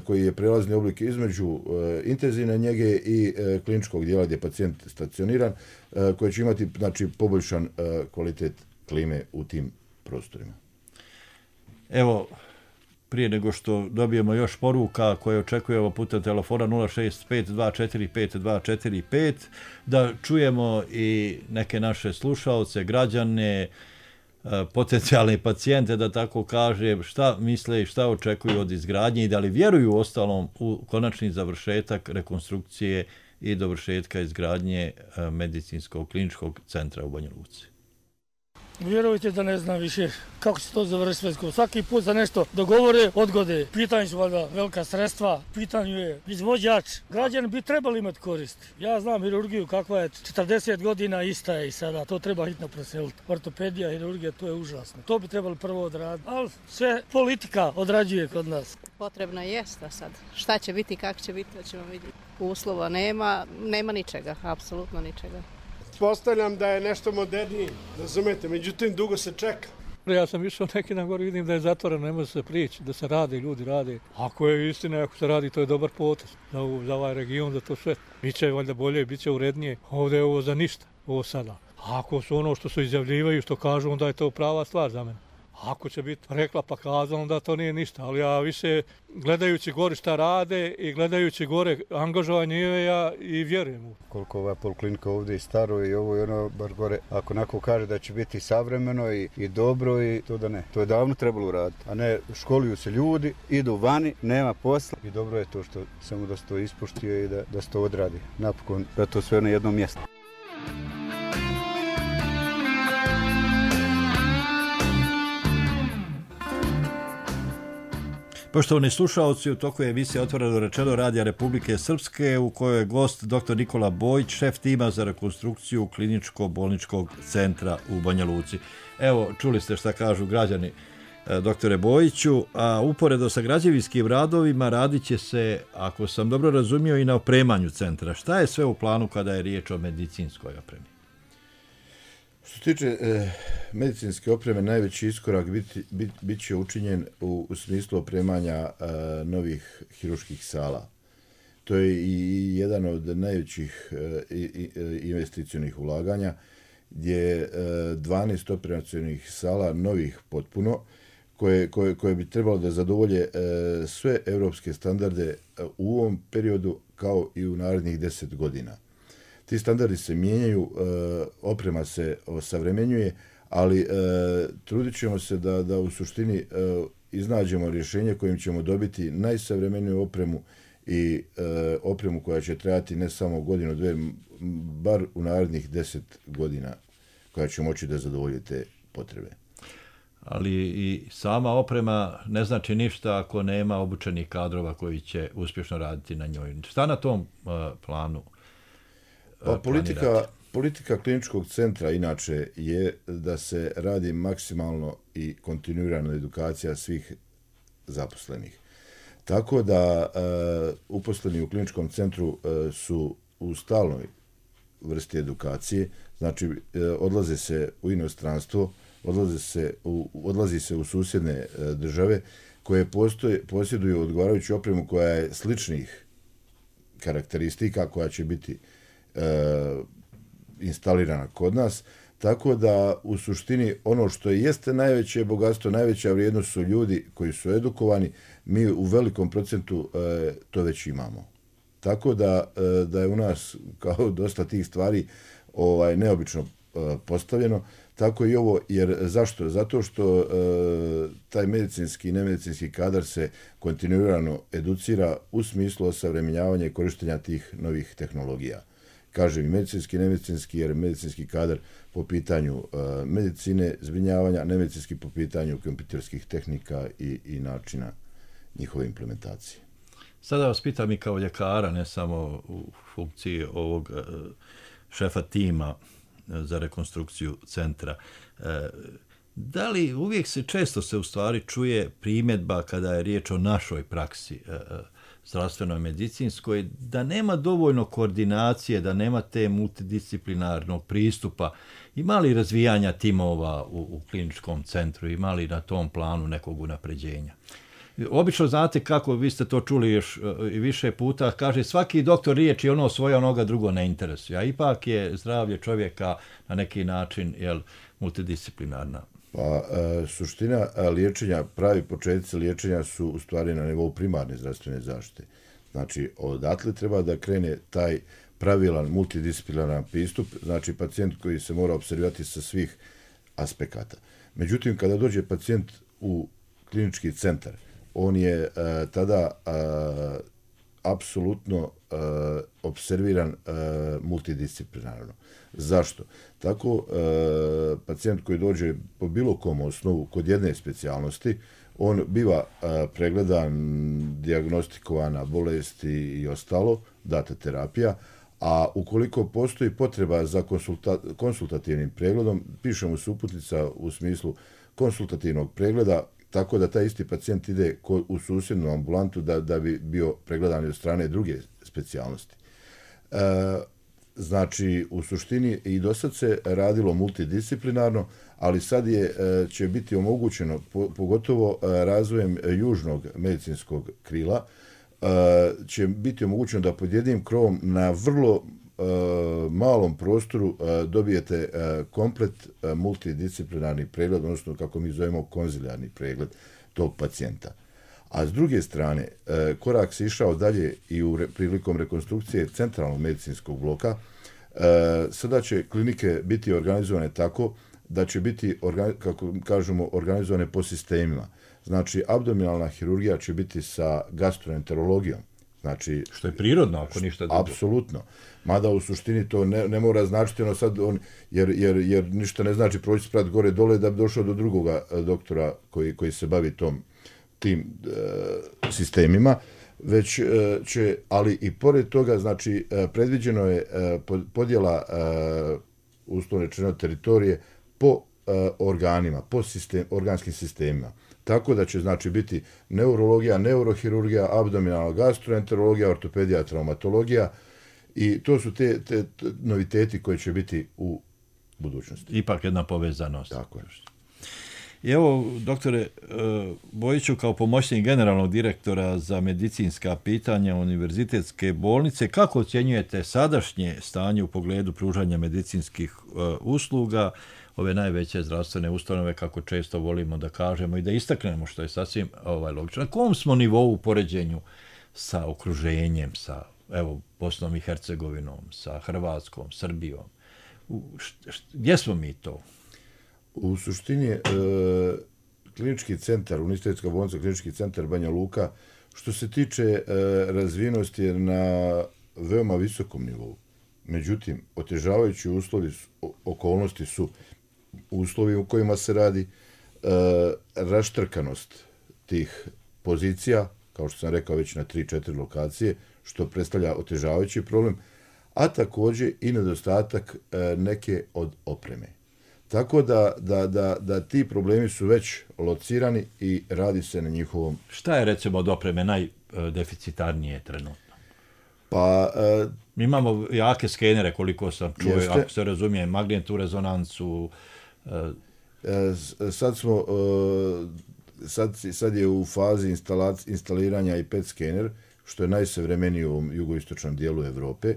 koji je prelazni oblik između uh, intenzivne njege i uh, kliničkog dijela gdje je pacijent stacioniran, uh, koji će imati znači, poboljšan uh, kvalitet klime u tim prostorima. Evo, prije nego što dobijemo još poruka koje očekujemo putem telefona nula šest pet dva četiri pet dva četiri pet, da čujemo i neke naše slušaoce, građane, potencijalne pacijente, da tako kažem, šta misle i šta očekuju od izgradnje i da li vjeruju ostalom u konačni završetak rekonstrukcije i dovršetka izgradnje medicinskog kliničkog centra u Banja Luci. Vjerujte da ne znam više kako će to završiti sve. Svaki put za nešto dogovore, odgode. Pitanje su valjda velika sredstva, pitanju je izvođač. Građani bi trebali imati korist. Ja znam hirurgiju kakva je, četrdeset godina ista je i sada. To treba hitno preseliti. Ortopedija, hirurgija, to je užasno. To bi trebali prvo odraditi. Ali sve politika odrađuje kod nas. Potrebno jeste sad. Šta će biti, kako će biti, to ćemo vidjeti. Uslova nema, nema ničega, apsolutno ničega. Postavljam da je nešto modernije, razumete, međutim dugo se čeka. Ja sam išao neki na gore, vidim da je zatvoreno, ne može se prići, da se radi, ljudi radi. Ako je istina, ako se radi, to je dobar potez za, za ovaj region, za to sve. Biće valjda bolje, biće urednije. Ovdje je ovo za ništa, ovo sada. Ako su ono što su izjavljivaju, što kažu, onda je to prava stvar za mene. Ako će biti rekla pa kazala, onda to nije ništa. Ali ja više gledajući gore šta rade i gledajući gore angažovanje ja i vjerujem u. Koliko ova poliklinika ovdje je staro i ovo i ono bar gore, ako neko kaže da će biti savremeno i, i dobro i to da ne. To je davno trebalo uraditi, a ne školuju se ljudi, idu vani, nema posla i dobro je to što samo da se to ispoštuje i da, da se to odradi. Napokon da to sve na jednom mjestu. Poštovani slušalci, u toku je emisija Otvoreno rečeno Radija Republike Srpske u kojoj je gost dr Nikola Bojić, šef tima za rekonstrukciju kliničko-bolničkog centra u Banja Luci. Evo, čuli ste šta kažu građani, doktore Bojiću, a uporedo sa građevinskim radovima radit će se, ako sam dobro razumio, i na opremanju centra. Šta je sve u planu kada je riječ o medicinskoj opremi? Što se tiče e, medicinske opreme, najveći iskorak biti, bit, bit će učinjen u, u smislu opremanja e, novih hirurških sala. To je i jedan od najvećih e, i, e, investicionih ulaganja, gdje je e, dvanaest operacionih sala novih potpuno, koje, koje, koje bi trebalo da zadovolje e, sve evropske standarde u ovom periodu kao i u narednih deset godina. Ti standardi se mijenjaju, oprema se osavremenjuje, ali trudit ćemo se da, da u suštini iznađemo rješenje kojim ćemo dobiti najsavremeniju opremu i opremu koja će trajati ne samo godinu, dve, bar u narednih deset godina koja će moći da zadovolji te potrebe. Ali i sama oprema ne znači ništa ako nema obučenih kadrova koji će uspješno raditi na njoj. Šta na tom planu? Pa politika, politika kliničkog centra inače je da se radi maksimalno i kontinuirana edukacija svih zaposlenih. Tako da uh, uposleni u kliničkom centru uh, su u stalnoj vrsti edukacije, znači uh, odlaze se u inostranstvo, odlaze se u, odlazi se u susjedne uh, države koje postoje, posjeduju odgovarajuću opremu koja je sličnih karakteristika, koja će biti e, instalirana kod nas, tako da u suštini ono što jeste najveće bogatstvo, najveća vrijednost su ljudi koji su edukovani, mi u velikom procentu e, to već imamo. Tako da, e, da je u nas kao dosta tih stvari ovaj, neobično e, postavljeno, tako i ovo, jer zašto? Zato što e, taj medicinski i nemedicinski kadar se kontinuirano educira u smislu osavremenjavanja i korištenja tih novih tehnologija. Kažem i medicinski i nemedicinski, jer medicinski kadar po pitanju uh, medicine, zbrinjavanja, nemedicinski po pitanju kompjuterskih tehnika i, i načina njihove implementacije. Sada vas pitam i kao ljekara, ne samo u funkciji ovog uh, šefa tima uh, za rekonstrukciju centra. Uh, da li uvijek se često se u stvari čuje primjedba kada je riječ o našoj praksi uh, zdravstvenoj medicinskoj, da nema dovoljno koordinacije, da nema te multidisciplinarnog pristupa? Ima li razvijanja timova u, u kliničkom centru? Ima li na tom planu nekog unapređenja? Obično znate kako, vi ste to čuli još i više puta, kaže svaki doktor riječi ono svoje, onoga drugo ne interesuje, a ipak je zdravlje čovjeka na neki način jel, multidisciplinarna. Pa, e, suština liječenja, pravi početci liječenja su u stvari na nivou primarne zdravstvene zaštite. Znači, odatle treba da krene taj pravilan multidisciplinaran pristup, znači pacijent koji se mora observirati sa svih aspekata. Međutim, kada dođe pacijent u klinički centar, on je e, tada e, apsolutno e, observiran e, multidisciplinarno. Zašto? Tako, e, pacijent koji dođe po bilo kom osnovu kod jedne specijalnosti, on biva e, pregledan, dijagnostikovana bolesti i ostalo, data terapija, a ukoliko postoji potreba za konsulta, konsultativnim pregledom, piše mu se uputnica u smislu konsultativnog pregleda, tako da taj isti pacijent ide u susjednu ambulantu da, da bi bio pregledan od strane druge specijalnosti. E, znači, u suštini i do sad se radilo multidisciplinarno, ali sad je, će biti omogućeno, pogotovo razvojem južnog medicinskog krila, će biti omogućeno da pod jednim krovom na vrlo malom prostoru dobijete komplet multidisciplinarni pregled, odnosno kako mi zovemo konzilijarni pregled tog pacijenta. A s druge strane, korak se išao dalje i u prilikom rekonstrukcije centralnog medicinskog bloka. Sada će klinike biti organizovane tako da će biti, kako kažemo, organizovane po sistemima. Znači, abdominalna hirurgija će biti sa gastroenterologijom. Znači, što je prirodno, ako ništa drugo. Apsolutno. Mada u suštini to ne, ne mora značiti ono sad, on, jer, jer, jer ništa ne znači proći sprat gore dole da bi došao do drugoga doktora koji, koji se bavi tom, tim e, sistemima, već e, će, ali i pored toga, znači, e, predviđeno je e, podjela e, uslovno rečeno teritorije po e, organima, po sistem, organskim sistemima. Tako da će, znači, biti neurologija, neurohirurgija, abdominalna gastroenterologija, ortopedija, traumatologija i to su te, te, te noviteti koji će biti u budućnosti. Ipak jedna povezanost. Tako je. I evo, doktore Bojiću, kao pomoćnik generalnog direktora za medicinska pitanja Univerzitetske bolnice, kako ocjenjujete sadašnje stanje u pogledu pružanja medicinskih usluga, ove najveće zdravstvene ustanove, kako često volimo da kažemo i da istaknemo, što je sasvim ovaj, logično. Na kom smo nivou u poređenju sa okruženjem, sa evo, Bosnom i Hercegovinom, sa Hrvatskom, Srbijom? U, št, št, gdje smo mi to? U suštini, e, klinički centar, Univerzitetska bolnica, klinički centar Banja Luka, što se tiče e, razvijenosti je na veoma visokom nivou. Međutim, otežavajući uslovi, okolnosti su uslovi u kojima se radi, e, raštrkanost tih pozicija, kao što sam rekao već na tri četiri lokacije, što predstavlja otežavajući problem, a također i nedostatak e, neke od opreme. Tako da, da, da, da ti problemi su već locirani i radi se na njihovom... Šta je, recimo, od opreme najdeficitarnije trenutno? Pa... E, Mi imamo jake skenere, koliko sam čuo, jeste, ako se razumije, magnetnu rezonancu. E, e, sad smo... E, sad, sad je u fazi instaliranja i P E T skener, što je najsavremeniji u jugoistočnom dijelu Europe.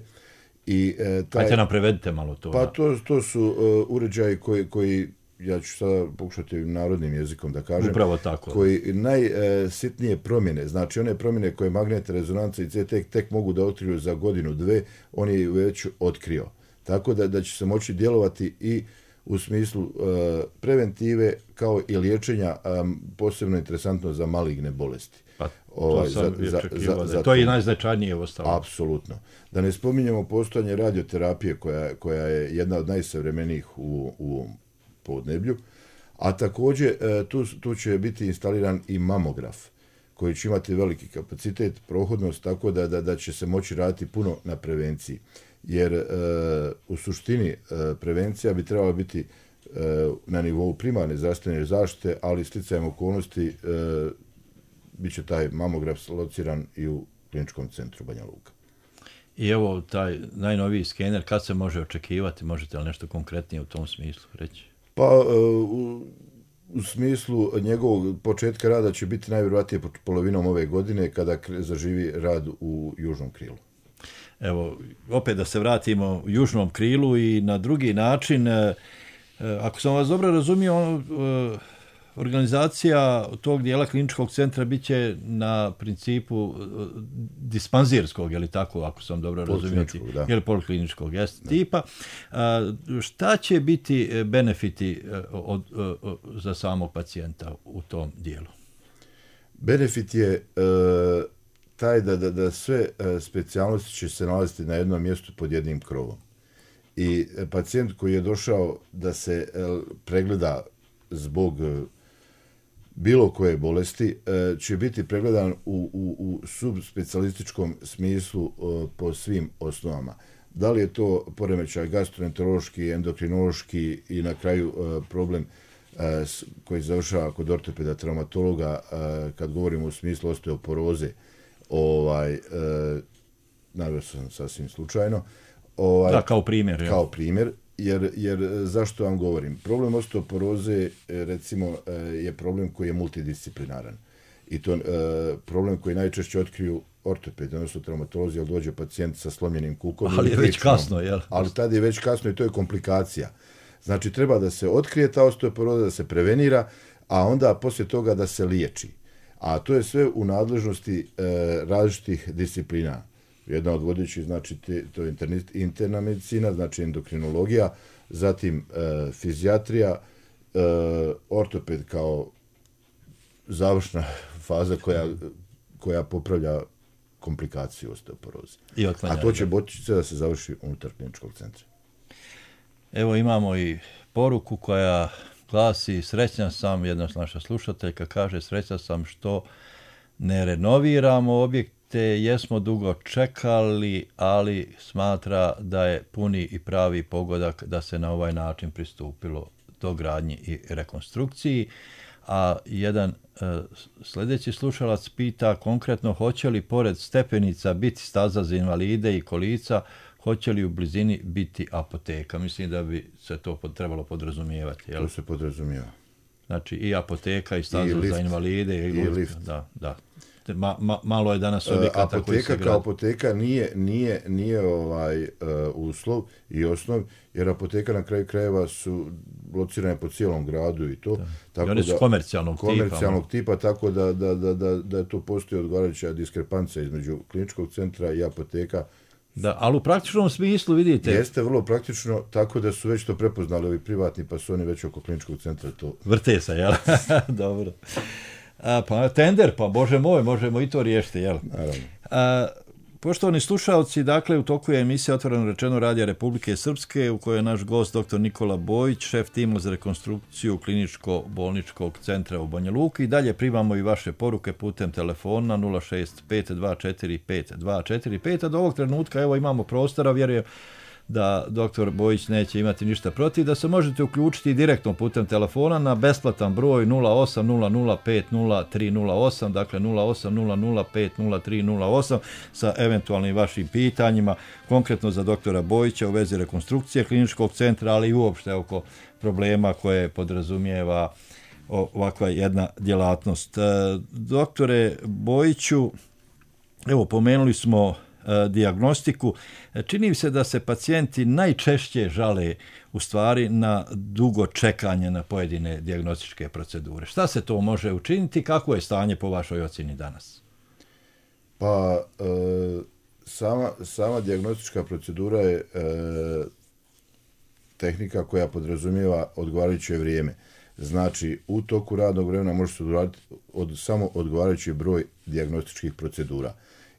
I, e, taj, Ajte nam prevedite malo to. Pa to, to su uh, uređaji koji, koji, ja ću sada pokušati narodnim jezikom da kažem, upravo tako. Koji najsitnije uh, promjene, znači one promjene koje magnetna rezonanca i C T tek mogu da otkriju za godinu, dve, on je već otkrio. Tako da, da će se moći djelovati i u smislu uh, preventive kao i liječenja, um, posebno interesantno za maligne bolesti. Pa, ovaj, za, za, za, za to je i najznačajnije ostalo. Apsolutno. Da ne spominjemo postojanje radioterapije koja, koja je jedna od najsavremenijih u, u podneblju, a također tu, tu će biti instaliran i mamograf koji će imati veliki kapacitet, prohodnost, tako da, da, da će se moći raditi puno na prevenciji. Jer e, u suštini e, prevencija bi trebala biti e, na nivou primarne zdravstvene zaštite, ali sticajem okolnosti e, bit će taj mamograf lociran i u kliničkom centru Banja Luka. I evo taj najnoviji skener, kad se može očekivati, možete li nešto konkretnije u tom smislu reći? Pa u, u smislu njegovog početka rada će biti najvjerojatnije polovinom ove godine kada zaživi rad u južnom krilu. Evo, opet da se vratimo u južnom krilu i na drugi način, ako sam vas dobro razumio, organizacija tog dijela kliničkog centra bit će na principu dispanzirskog, je li tako, ako sam dobro razumio, je li polikliničkog, jest, tipa. A, šta će biti benefiti od, od, za samog pacijenta u tom dijelu? Benefit je e, taj da, da, da sve specijalnosti će se nalaziti na jednom mjestu pod jednim krovom. I pacijent koji je došao da se pregleda zbog bilo koje bolesti će biti pregledan u, u, u subspecijalističkom smislu po svim osnovama. Da li je to poremećaj gastroenterološki, endokrinološki i na kraju problem koji završava kod ortopeda, traumatologa, kad govorimo u smislu osteoporoze, ovaj, naveo sam sasvim slučajno. Ovaj, da, kao primjer. Kao ja. primjer. Jer, jer zašto vam govorim? Problem osteoporoze, recimo, je problem koji je multidisciplinaran. I to e, problem koji najčešće otkriju ortopedi, odnosno traumatolozi, ali dođe pacijent sa slomljenim kukom. Ali je već kasno, jel? Ali tad je već kasno i to je komplikacija. Znači, treba da se otkrije ta osteoporoza, da se prevenira, a onda poslije toga da se liječi. A to je sve u nadležnosti e, različitih disciplina. Jedna od vodećih, znači, te, to je interna medicina, znači endokrinologija, zatim e, fizijatrija, e, ortoped kao završna faza koja, koja popravlja komplikaciju osteoporoze. I otklanjanje. A to će moći da se završi unutar kliničkog centra. Evo imamo i poruku koja glasi: srećan sam, jedna naša slušateljka kaže, srećan sam što ne renoviramo objekt, te jesmo dugo čekali, ali smatra da je puni i pravi pogodak da se na ovaj način pristupilo do gradnji i rekonstrukciji. A jedan e, sljedeći slušalac pita konkretno hoće li pored stepenica biti staza za invalide i kolica, hoće li u blizini biti apoteka. Mislim da bi se to pod, trebalo podrazumijevati. Jel? To se podrazumijeva. Znači i apoteka i staza I za invalide. I, i lift. Da, da. Ma, ma, malo je danas objekata koji se grad. Apoteka kao apoteka nije, nije, nije ovaj uh, uslov i osnov, jer apoteka na kraju krajeva su locirane po cijelom gradu i to. Da. Tako I one su da, komercijalnog, komercijalnog tipa. tipa, tako da, da, da, da, da tu postoji odgovarajuća diskrepancija između kliničkog centra i apoteka. Da, ali u praktičnom smislu vidite... Jeste vrlo praktično, tako da su već to prepoznali ovi privatni, pa su oni već oko kliničkog centra to... Vrte se, jel? Dobro. A, pa tender, pa bože moj, možemo i to riješiti, jel? Naravno. A, poštovani slušalci, dakle, u toku je emisija Otvoreno rečeno Radija Republike Srpske, u kojoj je naš gost doktor Nikola Bojić, šef tima za rekonstrukciju kliničko-bolničkog centra u Banja Luki. I dalje primamo i vaše poruke putem telefona nula šest pet dva četiri pet dva četiri pet, a do ovog trenutka evo imamo prostora, vjerujem da doktor Bojić neće imati ništa protiv, da se možete uključiti direktno putem telefona na besplatan broj nula osam nula nula pet nula tri nula osam, dakle nula osam nula nula pet nula tri nula osam sa eventualnim vašim pitanjima, konkretno za doktora Bojića u vezi rekonstrukcije kliničkog centra, ali i uopšte oko problema koje podrazumijeva ovakva jedna djelatnost. Doktore Bojiću, evo pomenuli smo dijagnostiku. Čini mi se da se pacijenti najčešće žale u stvari na dugo čekanje na pojedine dijagnostičke procedure. Šta se to može učiniti? Kako je stanje po vašoj ocjeni danas? Pa e, sama, sama dijagnostička procedura je e, tehnika koja podrazumijeva odgovarajuće vrijeme. Znači, u toku radnog vremena može se odgovarati od, samo odgovarajući broj dijagnostičkih procedura.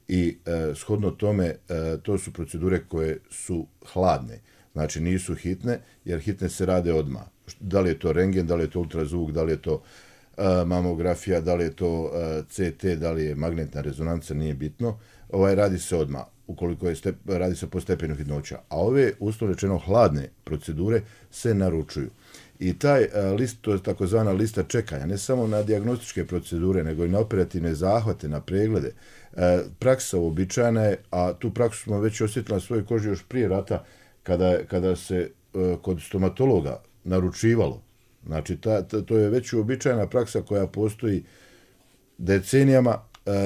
I e, shodno tome, e, to su procedure koje su hladne. Znači, nisu hitne, jer hitne se rade odmah. Da li je to rentgen, da li je to ultrazvuk, da li je to e, mamografija, da li je to e, C T, da li je magnetna rezonanca, nije bitno. Ovaj radi se odmah, ukoliko je step, radi se po stepenu hitnoća. A ove, uslovno rečeno, hladne procedure se naručuju. I taj list, to je takozvana lista čekanja, ne samo na dijagnostičke procedure, nego i na operativne zahvate, na preglede. Praksa uobičajena je, a tu praksu smo već osjetili na svojoj koži još prije rata, kada, kada se kod stomatologa naručivalo. Znači, ta, ta, to je već uobičajena praksa koja postoji decenijama,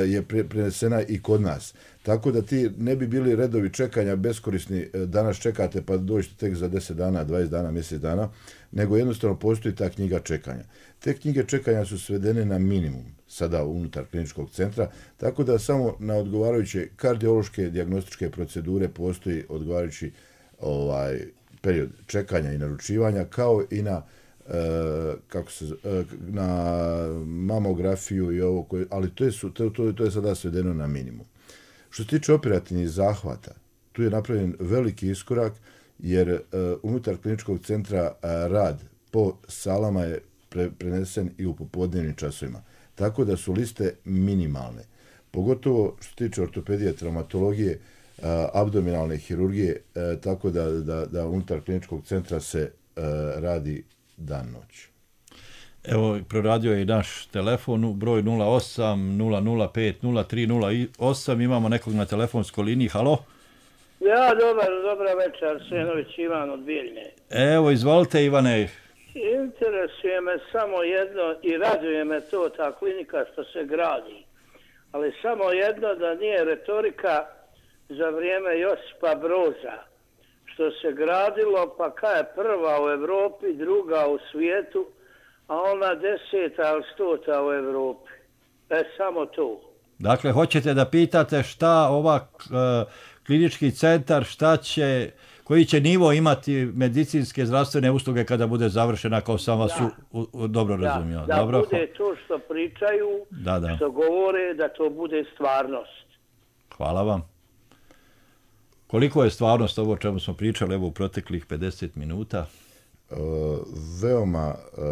je prenesena i kod nas. Tako da ti ne bi bili redovi čekanja beskorisni, danas čekate pa dođete tek za deset dana, dvadeset dana, mjesec dana, nego jednostavno postoji ta knjiga čekanja. Te knjige čekanja su svedene na minimum sada unutar kliničkog centra, tako da samo na odgovarajuće kardiološke dijagnostičke procedure postoji odgovarajući ovaj, period čekanja i naručivanja, kao i na Uh, kako se, uh, na mamografiju i ovo, koje, ali to je, to, to, to je sada svedeno na minimum. Što se tiče operativnih zahvata, tu je napravljen veliki iskorak, jer uh, unutar kliničkog centra uh, rad po salama je pre, prenesen i u popodnevnim časovima. Tako da su liste minimalne. Pogotovo što se tiče ortopedije, traumatologije, uh, abdominalne hirurgije, uh, tako da, da, da unutar kliničkog centra se uh, radi dan noć. Evo, proradio je i naš telefon, broj nula osam nula nula pet nula tri nula osam, imamo nekog na telefonskoj liniji, halo? Ja, dobar, dobra večer, Senović Ivan od Bijeljne. Evo, izvolite Ivane. Interesuje me samo jedno i raduje me to, ta klinika što se gradi, ali samo jedno, da nije retorika za vrijeme Josipa Broza, što se gradilo, pa kaj je prva u Evropi, druga u svijetu, a ona deseta ili stota u Evropi. E, samo to. Dakle, hoćete da pitate šta ova uh, klinički centar, šta će, koji će nivo imati medicinske zdravstvene usluge kada bude završena, kao sam vas da. u, u, dobro da, razumio. Da dobro? bude to što pričaju, da, da. što govore, da to bude stvarnost. Hvala vam. Koliko je stvarnost ovo o čemu smo pričali evo u proteklih pedeset minuta? Uh, veoma uh,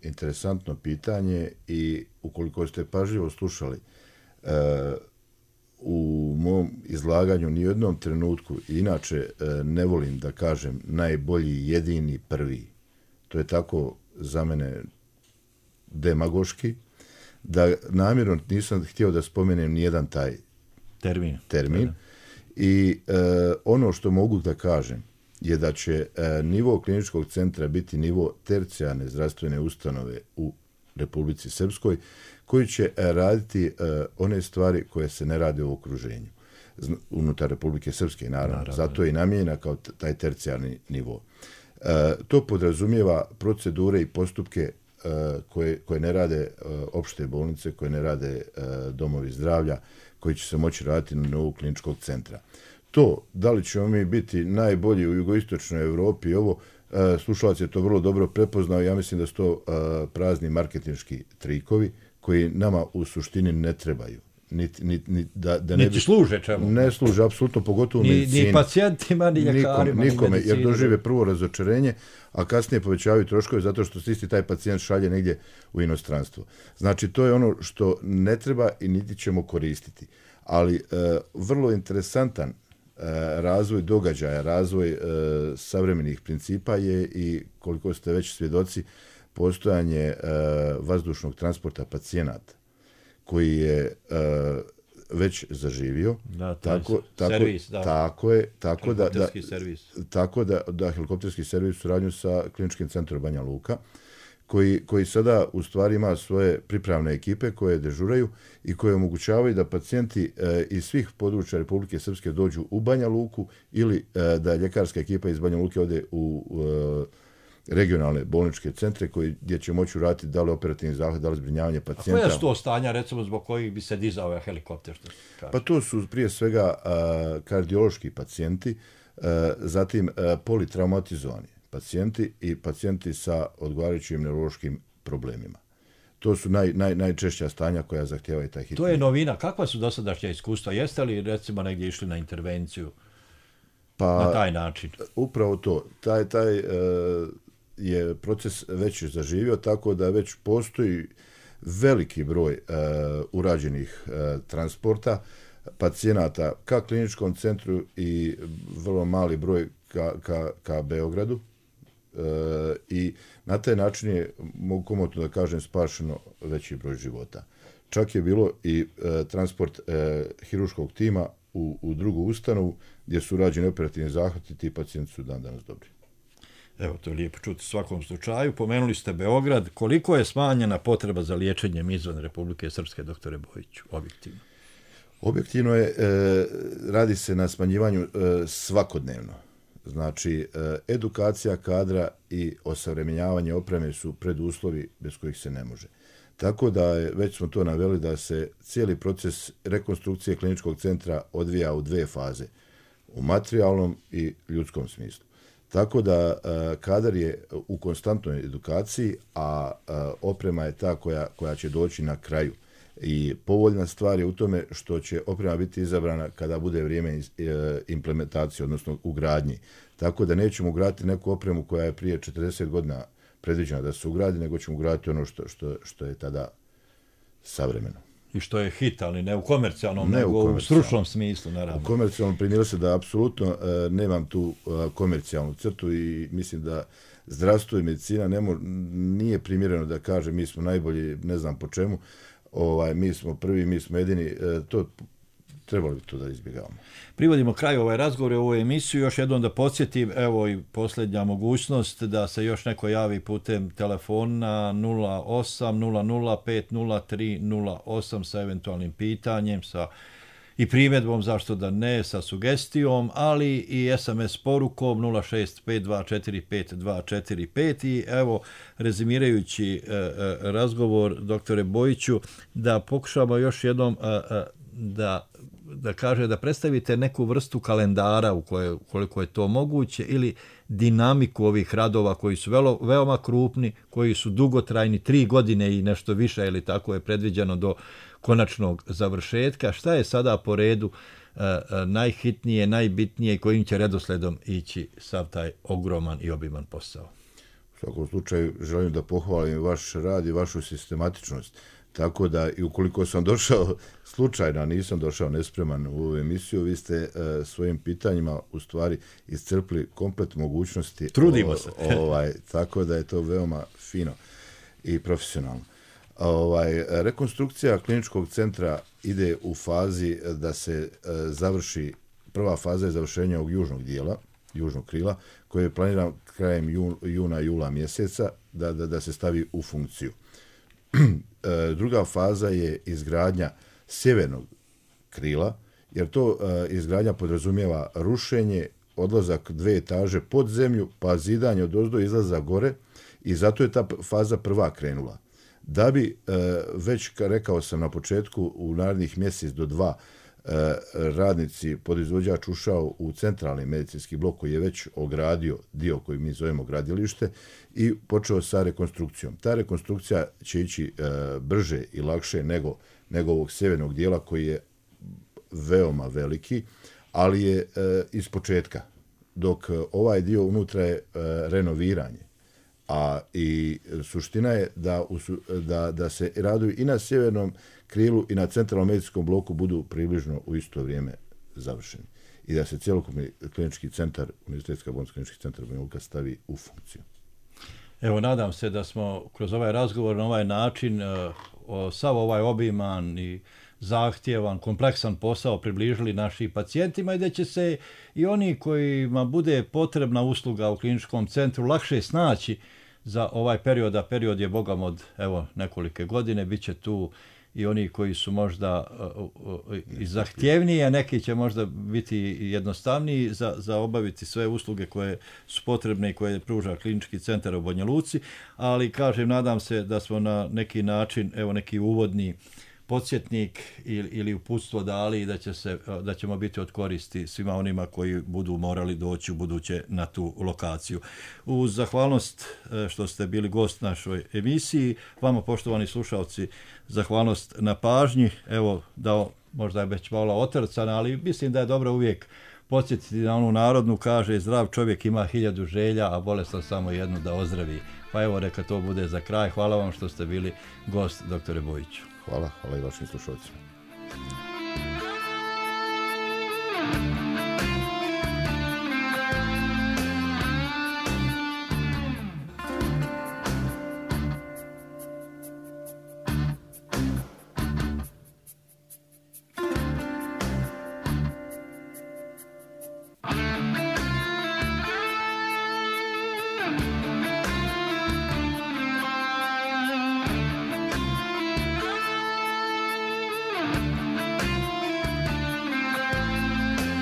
interesantno pitanje i ukoliko ste pažljivo slušali, uh, u mom izlaganju ni u jednom trenutku, inače uh, ne volim da kažem najbolji, jedini, prvi. To je tako za mene demagoški, da namjerno nisam htio da spomenem nijedan taj termin. termin. I e, ono što mogu da kažem je da će e, nivo kliničkog centra biti nivo tercijarne zdravstvene ustanove u Republici Srpskoj, koji će e, raditi e, one stvari koje se ne rade u okruženju. Zna, unutar Republike Srpske, naravno. naravno. Zato je i namijenjena kao t- taj tercijarni nivo. E, to podrazumijeva procedure i postupke e, koje, koje ne rade e, opšte bolnice, koje ne rade e, domovi zdravlja, koji će se moći raditi na nivou kliničkog centra. To, da li ćemo mi biti najbolji u jugoistočnoj Evropi, ovo, e, slušalac je to vrlo dobro prepoznao, ja mislim da su to e, prazni marketinški trikovi koji nama u suštini ne trebaju. Niti, niti, niti, da, da ne niti bi, služe čemu? Ne služe, apsolutno, pogotovo ni, u medicini. Ni pacijentima, ni ljekarima, nikome, nikome, ni medicini. jer dožive prvo razočarenje, a kasnije povećavaju troškove zato što se isti taj pacijent šalje negdje u inostranstvo. Znači, to je ono što ne treba i niti ćemo koristiti. Ali e, vrlo interesantan e, razvoj događaja, razvoj e, savremenih principa je i, koliko ste već svjedoci, postojanje e, vazdušnog transporta pacijenata, koji je e, već zaživio. Da, tako, tako, servis, da. Tako je, tako da, da, servis. tako da, da helikopterski servis u suradnju sa kliničkim centrom Banja Luka, koji, koji sada u stvari ima svoje pripravne ekipe koje dežuraju i koje omogućavaju da pacijenti e, iz svih područja Republike Srpske dođu u Banja Luku ili e, da ljekarska ekipa iz Banja Luke ode u e, regionalne bolničke centre koji, gdje će moći uraditi da li operativni zahvat, da li zbrinjavanje pacijenta. A koja su to stanja, recimo, zbog kojih bi se dizao ovaj helikopter? Što pa to su prije svega a, kardiološki pacijenti, a, zatim a, politraumatizovani pacijenti i pacijenti sa odgovarajućim neurološkim problemima. To su naj, naj, najčešća stanja koja zahtijevaju taj hitni. To je novina. Kakva su dosadašnja iskustva? Jeste li, recimo, negdje išli na intervenciju pa, na taj način? Upravo to. Taj, taj, uh, je proces već zaživio, tako da već postoji veliki broj uh, urađenih uh, transporta pacijenata ka kliničkom centru i vrlo mali broj ka, ka, ka Beogradu. Uh, I na taj način je, mogu komotno da kažem, spašeno veći broj života. Čak je bilo i uh, transport uh, hiruškog tima u, u drugu ustanovu gdje su urađeni operativni zahvati i ti pacijenti su dan danas dobri. Evo, to je lijepo čuti u svakom slučaju. Pomenuli ste Beograd. Koliko je smanjena potreba za liječenjem izvan Republike Srpske, doktore Bojiću, objektivno? Objektivno je, e, radi se na smanjivanju e, svakodnevno. Znači, e, edukacija kadra i osavremenjavanje opreme su preduslovi bez kojih se ne može. Tako da je, već smo to naveli, da se cijeli proces rekonstrukcije kliničkog centra odvija u dve faze. U materijalnom i ljudskom smislu. Tako da uh, kadar je u konstantnoj edukaciji, a uh, oprema je ta koja, koja će doći na kraju. I povoljna stvar je u tome što će oprema biti izabrana kada bude vrijeme iz, uh, implementacije, odnosno ugradnji. Tako da nećemo ugraditi neku opremu koja je prije četrdeset godina predviđena da se ugradi, nego ćemo ugraditi ono što, što, što je tada savremeno. I što je hit, ali ne u komercijalnom, ne nego u, u stručnom smislu, naravno. U komercijalnom primjeru se da apsolutno uh, nemam tu uh, komercijalnu crtu i mislim da zdravstvo i medicina ne mo, nije primjereno da kaže mi smo najbolji, ne znam po čemu, ovaj, mi smo prvi, mi smo jedini, uh, to trebalo bi to da izbjegavamo. Privodimo kraju ovaj razgovor i ovu emisiju. Još jednom da podsjetim, evo i posljednja mogućnost da se još neko javi putem telefona nula osam nula nula pet nula tri nula osam sa eventualnim pitanjem, sa i primjedbom, zašto da ne, sa sugestijom, ali i es em es porukom nula šest pet dva četiri pet dva četiri pet. I evo, rezimirajući e, e, razgovor, doktore Bojiću, da pokušamo još jednom e, e, da da kaže da predstavite neku vrstu kalendara u kojoj, koliko je to moguće, ili dinamiku ovih radova koji su velo, veoma krupni, koji su dugotrajni, tri godine i nešto više, ili tako je predviđeno do konačnog završetka. Šta je sada po redu e, e, najhitnije, najbitnije i kojim će redosledom ići sav taj ogroman i obiman posao? U svakom slučaju želim da pohvalim vaš rad i vašu sistematičnost. Tako da, i ukoliko sam došao slučajno, a nisam došao nespreman u ovu emisiju, vi ste e, svojim pitanjima u stvari iscrpli komplet mogućnosti. Trudimo o, se. ovaj, tako da je to veoma fino i profesionalno. Ovaj, rekonstrukcija kliničkog centra ide u fazi da se e, završi, prva faza je završenja ovog južnog dijela, južnog krila, koji je planiran krajem jun, juna, jula mjeseca da, da, da se stavi u funkciju. Druga faza je izgradnja sjevernog krila, jer to izgradnja podrazumijeva rušenje, odlazak dve etaže pod zemlju, pa zidanje od ozdo, izlaza gore, i zato je ta faza prva krenula. Da bi, već rekao sam na početku, u narednih mjesec do dva radnici, podizvođač ušao u centralni medicinski blok koji je već ogradio dio koji mi zovemo gradilište i počeo sa rekonstrukcijom. Ta rekonstrukcija će ići e, brže i lakše nego, nego ovog sjevernog dijela koji je veoma veliki, ali je e, iz početka, dok ovaj dio unutra je e, renoviranje. A i suština je da, da, da se radovi i na sjevernom krilu i na centralnom medicinskom bloku budu približno u isto vrijeme završeni. I da se cjelokupni klinički centar, Univerzitetska bolnica klinički centar Banja Luka stavi u funkciju. Evo, nadam se da smo kroz ovaj razgovor na ovaj način o, sav ovaj obiman i zahtjevan, kompleksan posao približili našim pacijentima i da će se i oni kojima bude potrebna usluga u kliničkom centru lakše snaći za ovaj period, a period je bogam od evo nekolike godine, bit će tu i oni koji su možda uh, uh, i zahtjevniji, a neki će možda biti jednostavniji za, za obaviti sve usluge koje su potrebne i koje pruža klinički centar u Banja Luci, ali kažem, nadam se da smo na neki način, evo neki uvodni podsjetnik ili, ili uputstvo dali i da, će se, da ćemo biti od koristi svima onima koji budu morali doći u buduće na tu lokaciju. Uz zahvalnost što ste bili gost našoj emisiji, vama poštovani slušalci, zahvalnost na pažnji, evo da možda je već malo otrcana, ali mislim da je dobro uvijek podsjetiti na onu narodnu, kaže zdrav čovjek ima hiljadu želja, a bolestan samo jednu da ozdravi. Pa evo neka to bude za kraj. Hvala vam što ste bili gost, doktore Bojiću. Hvala, hvala i vašim slušalcima.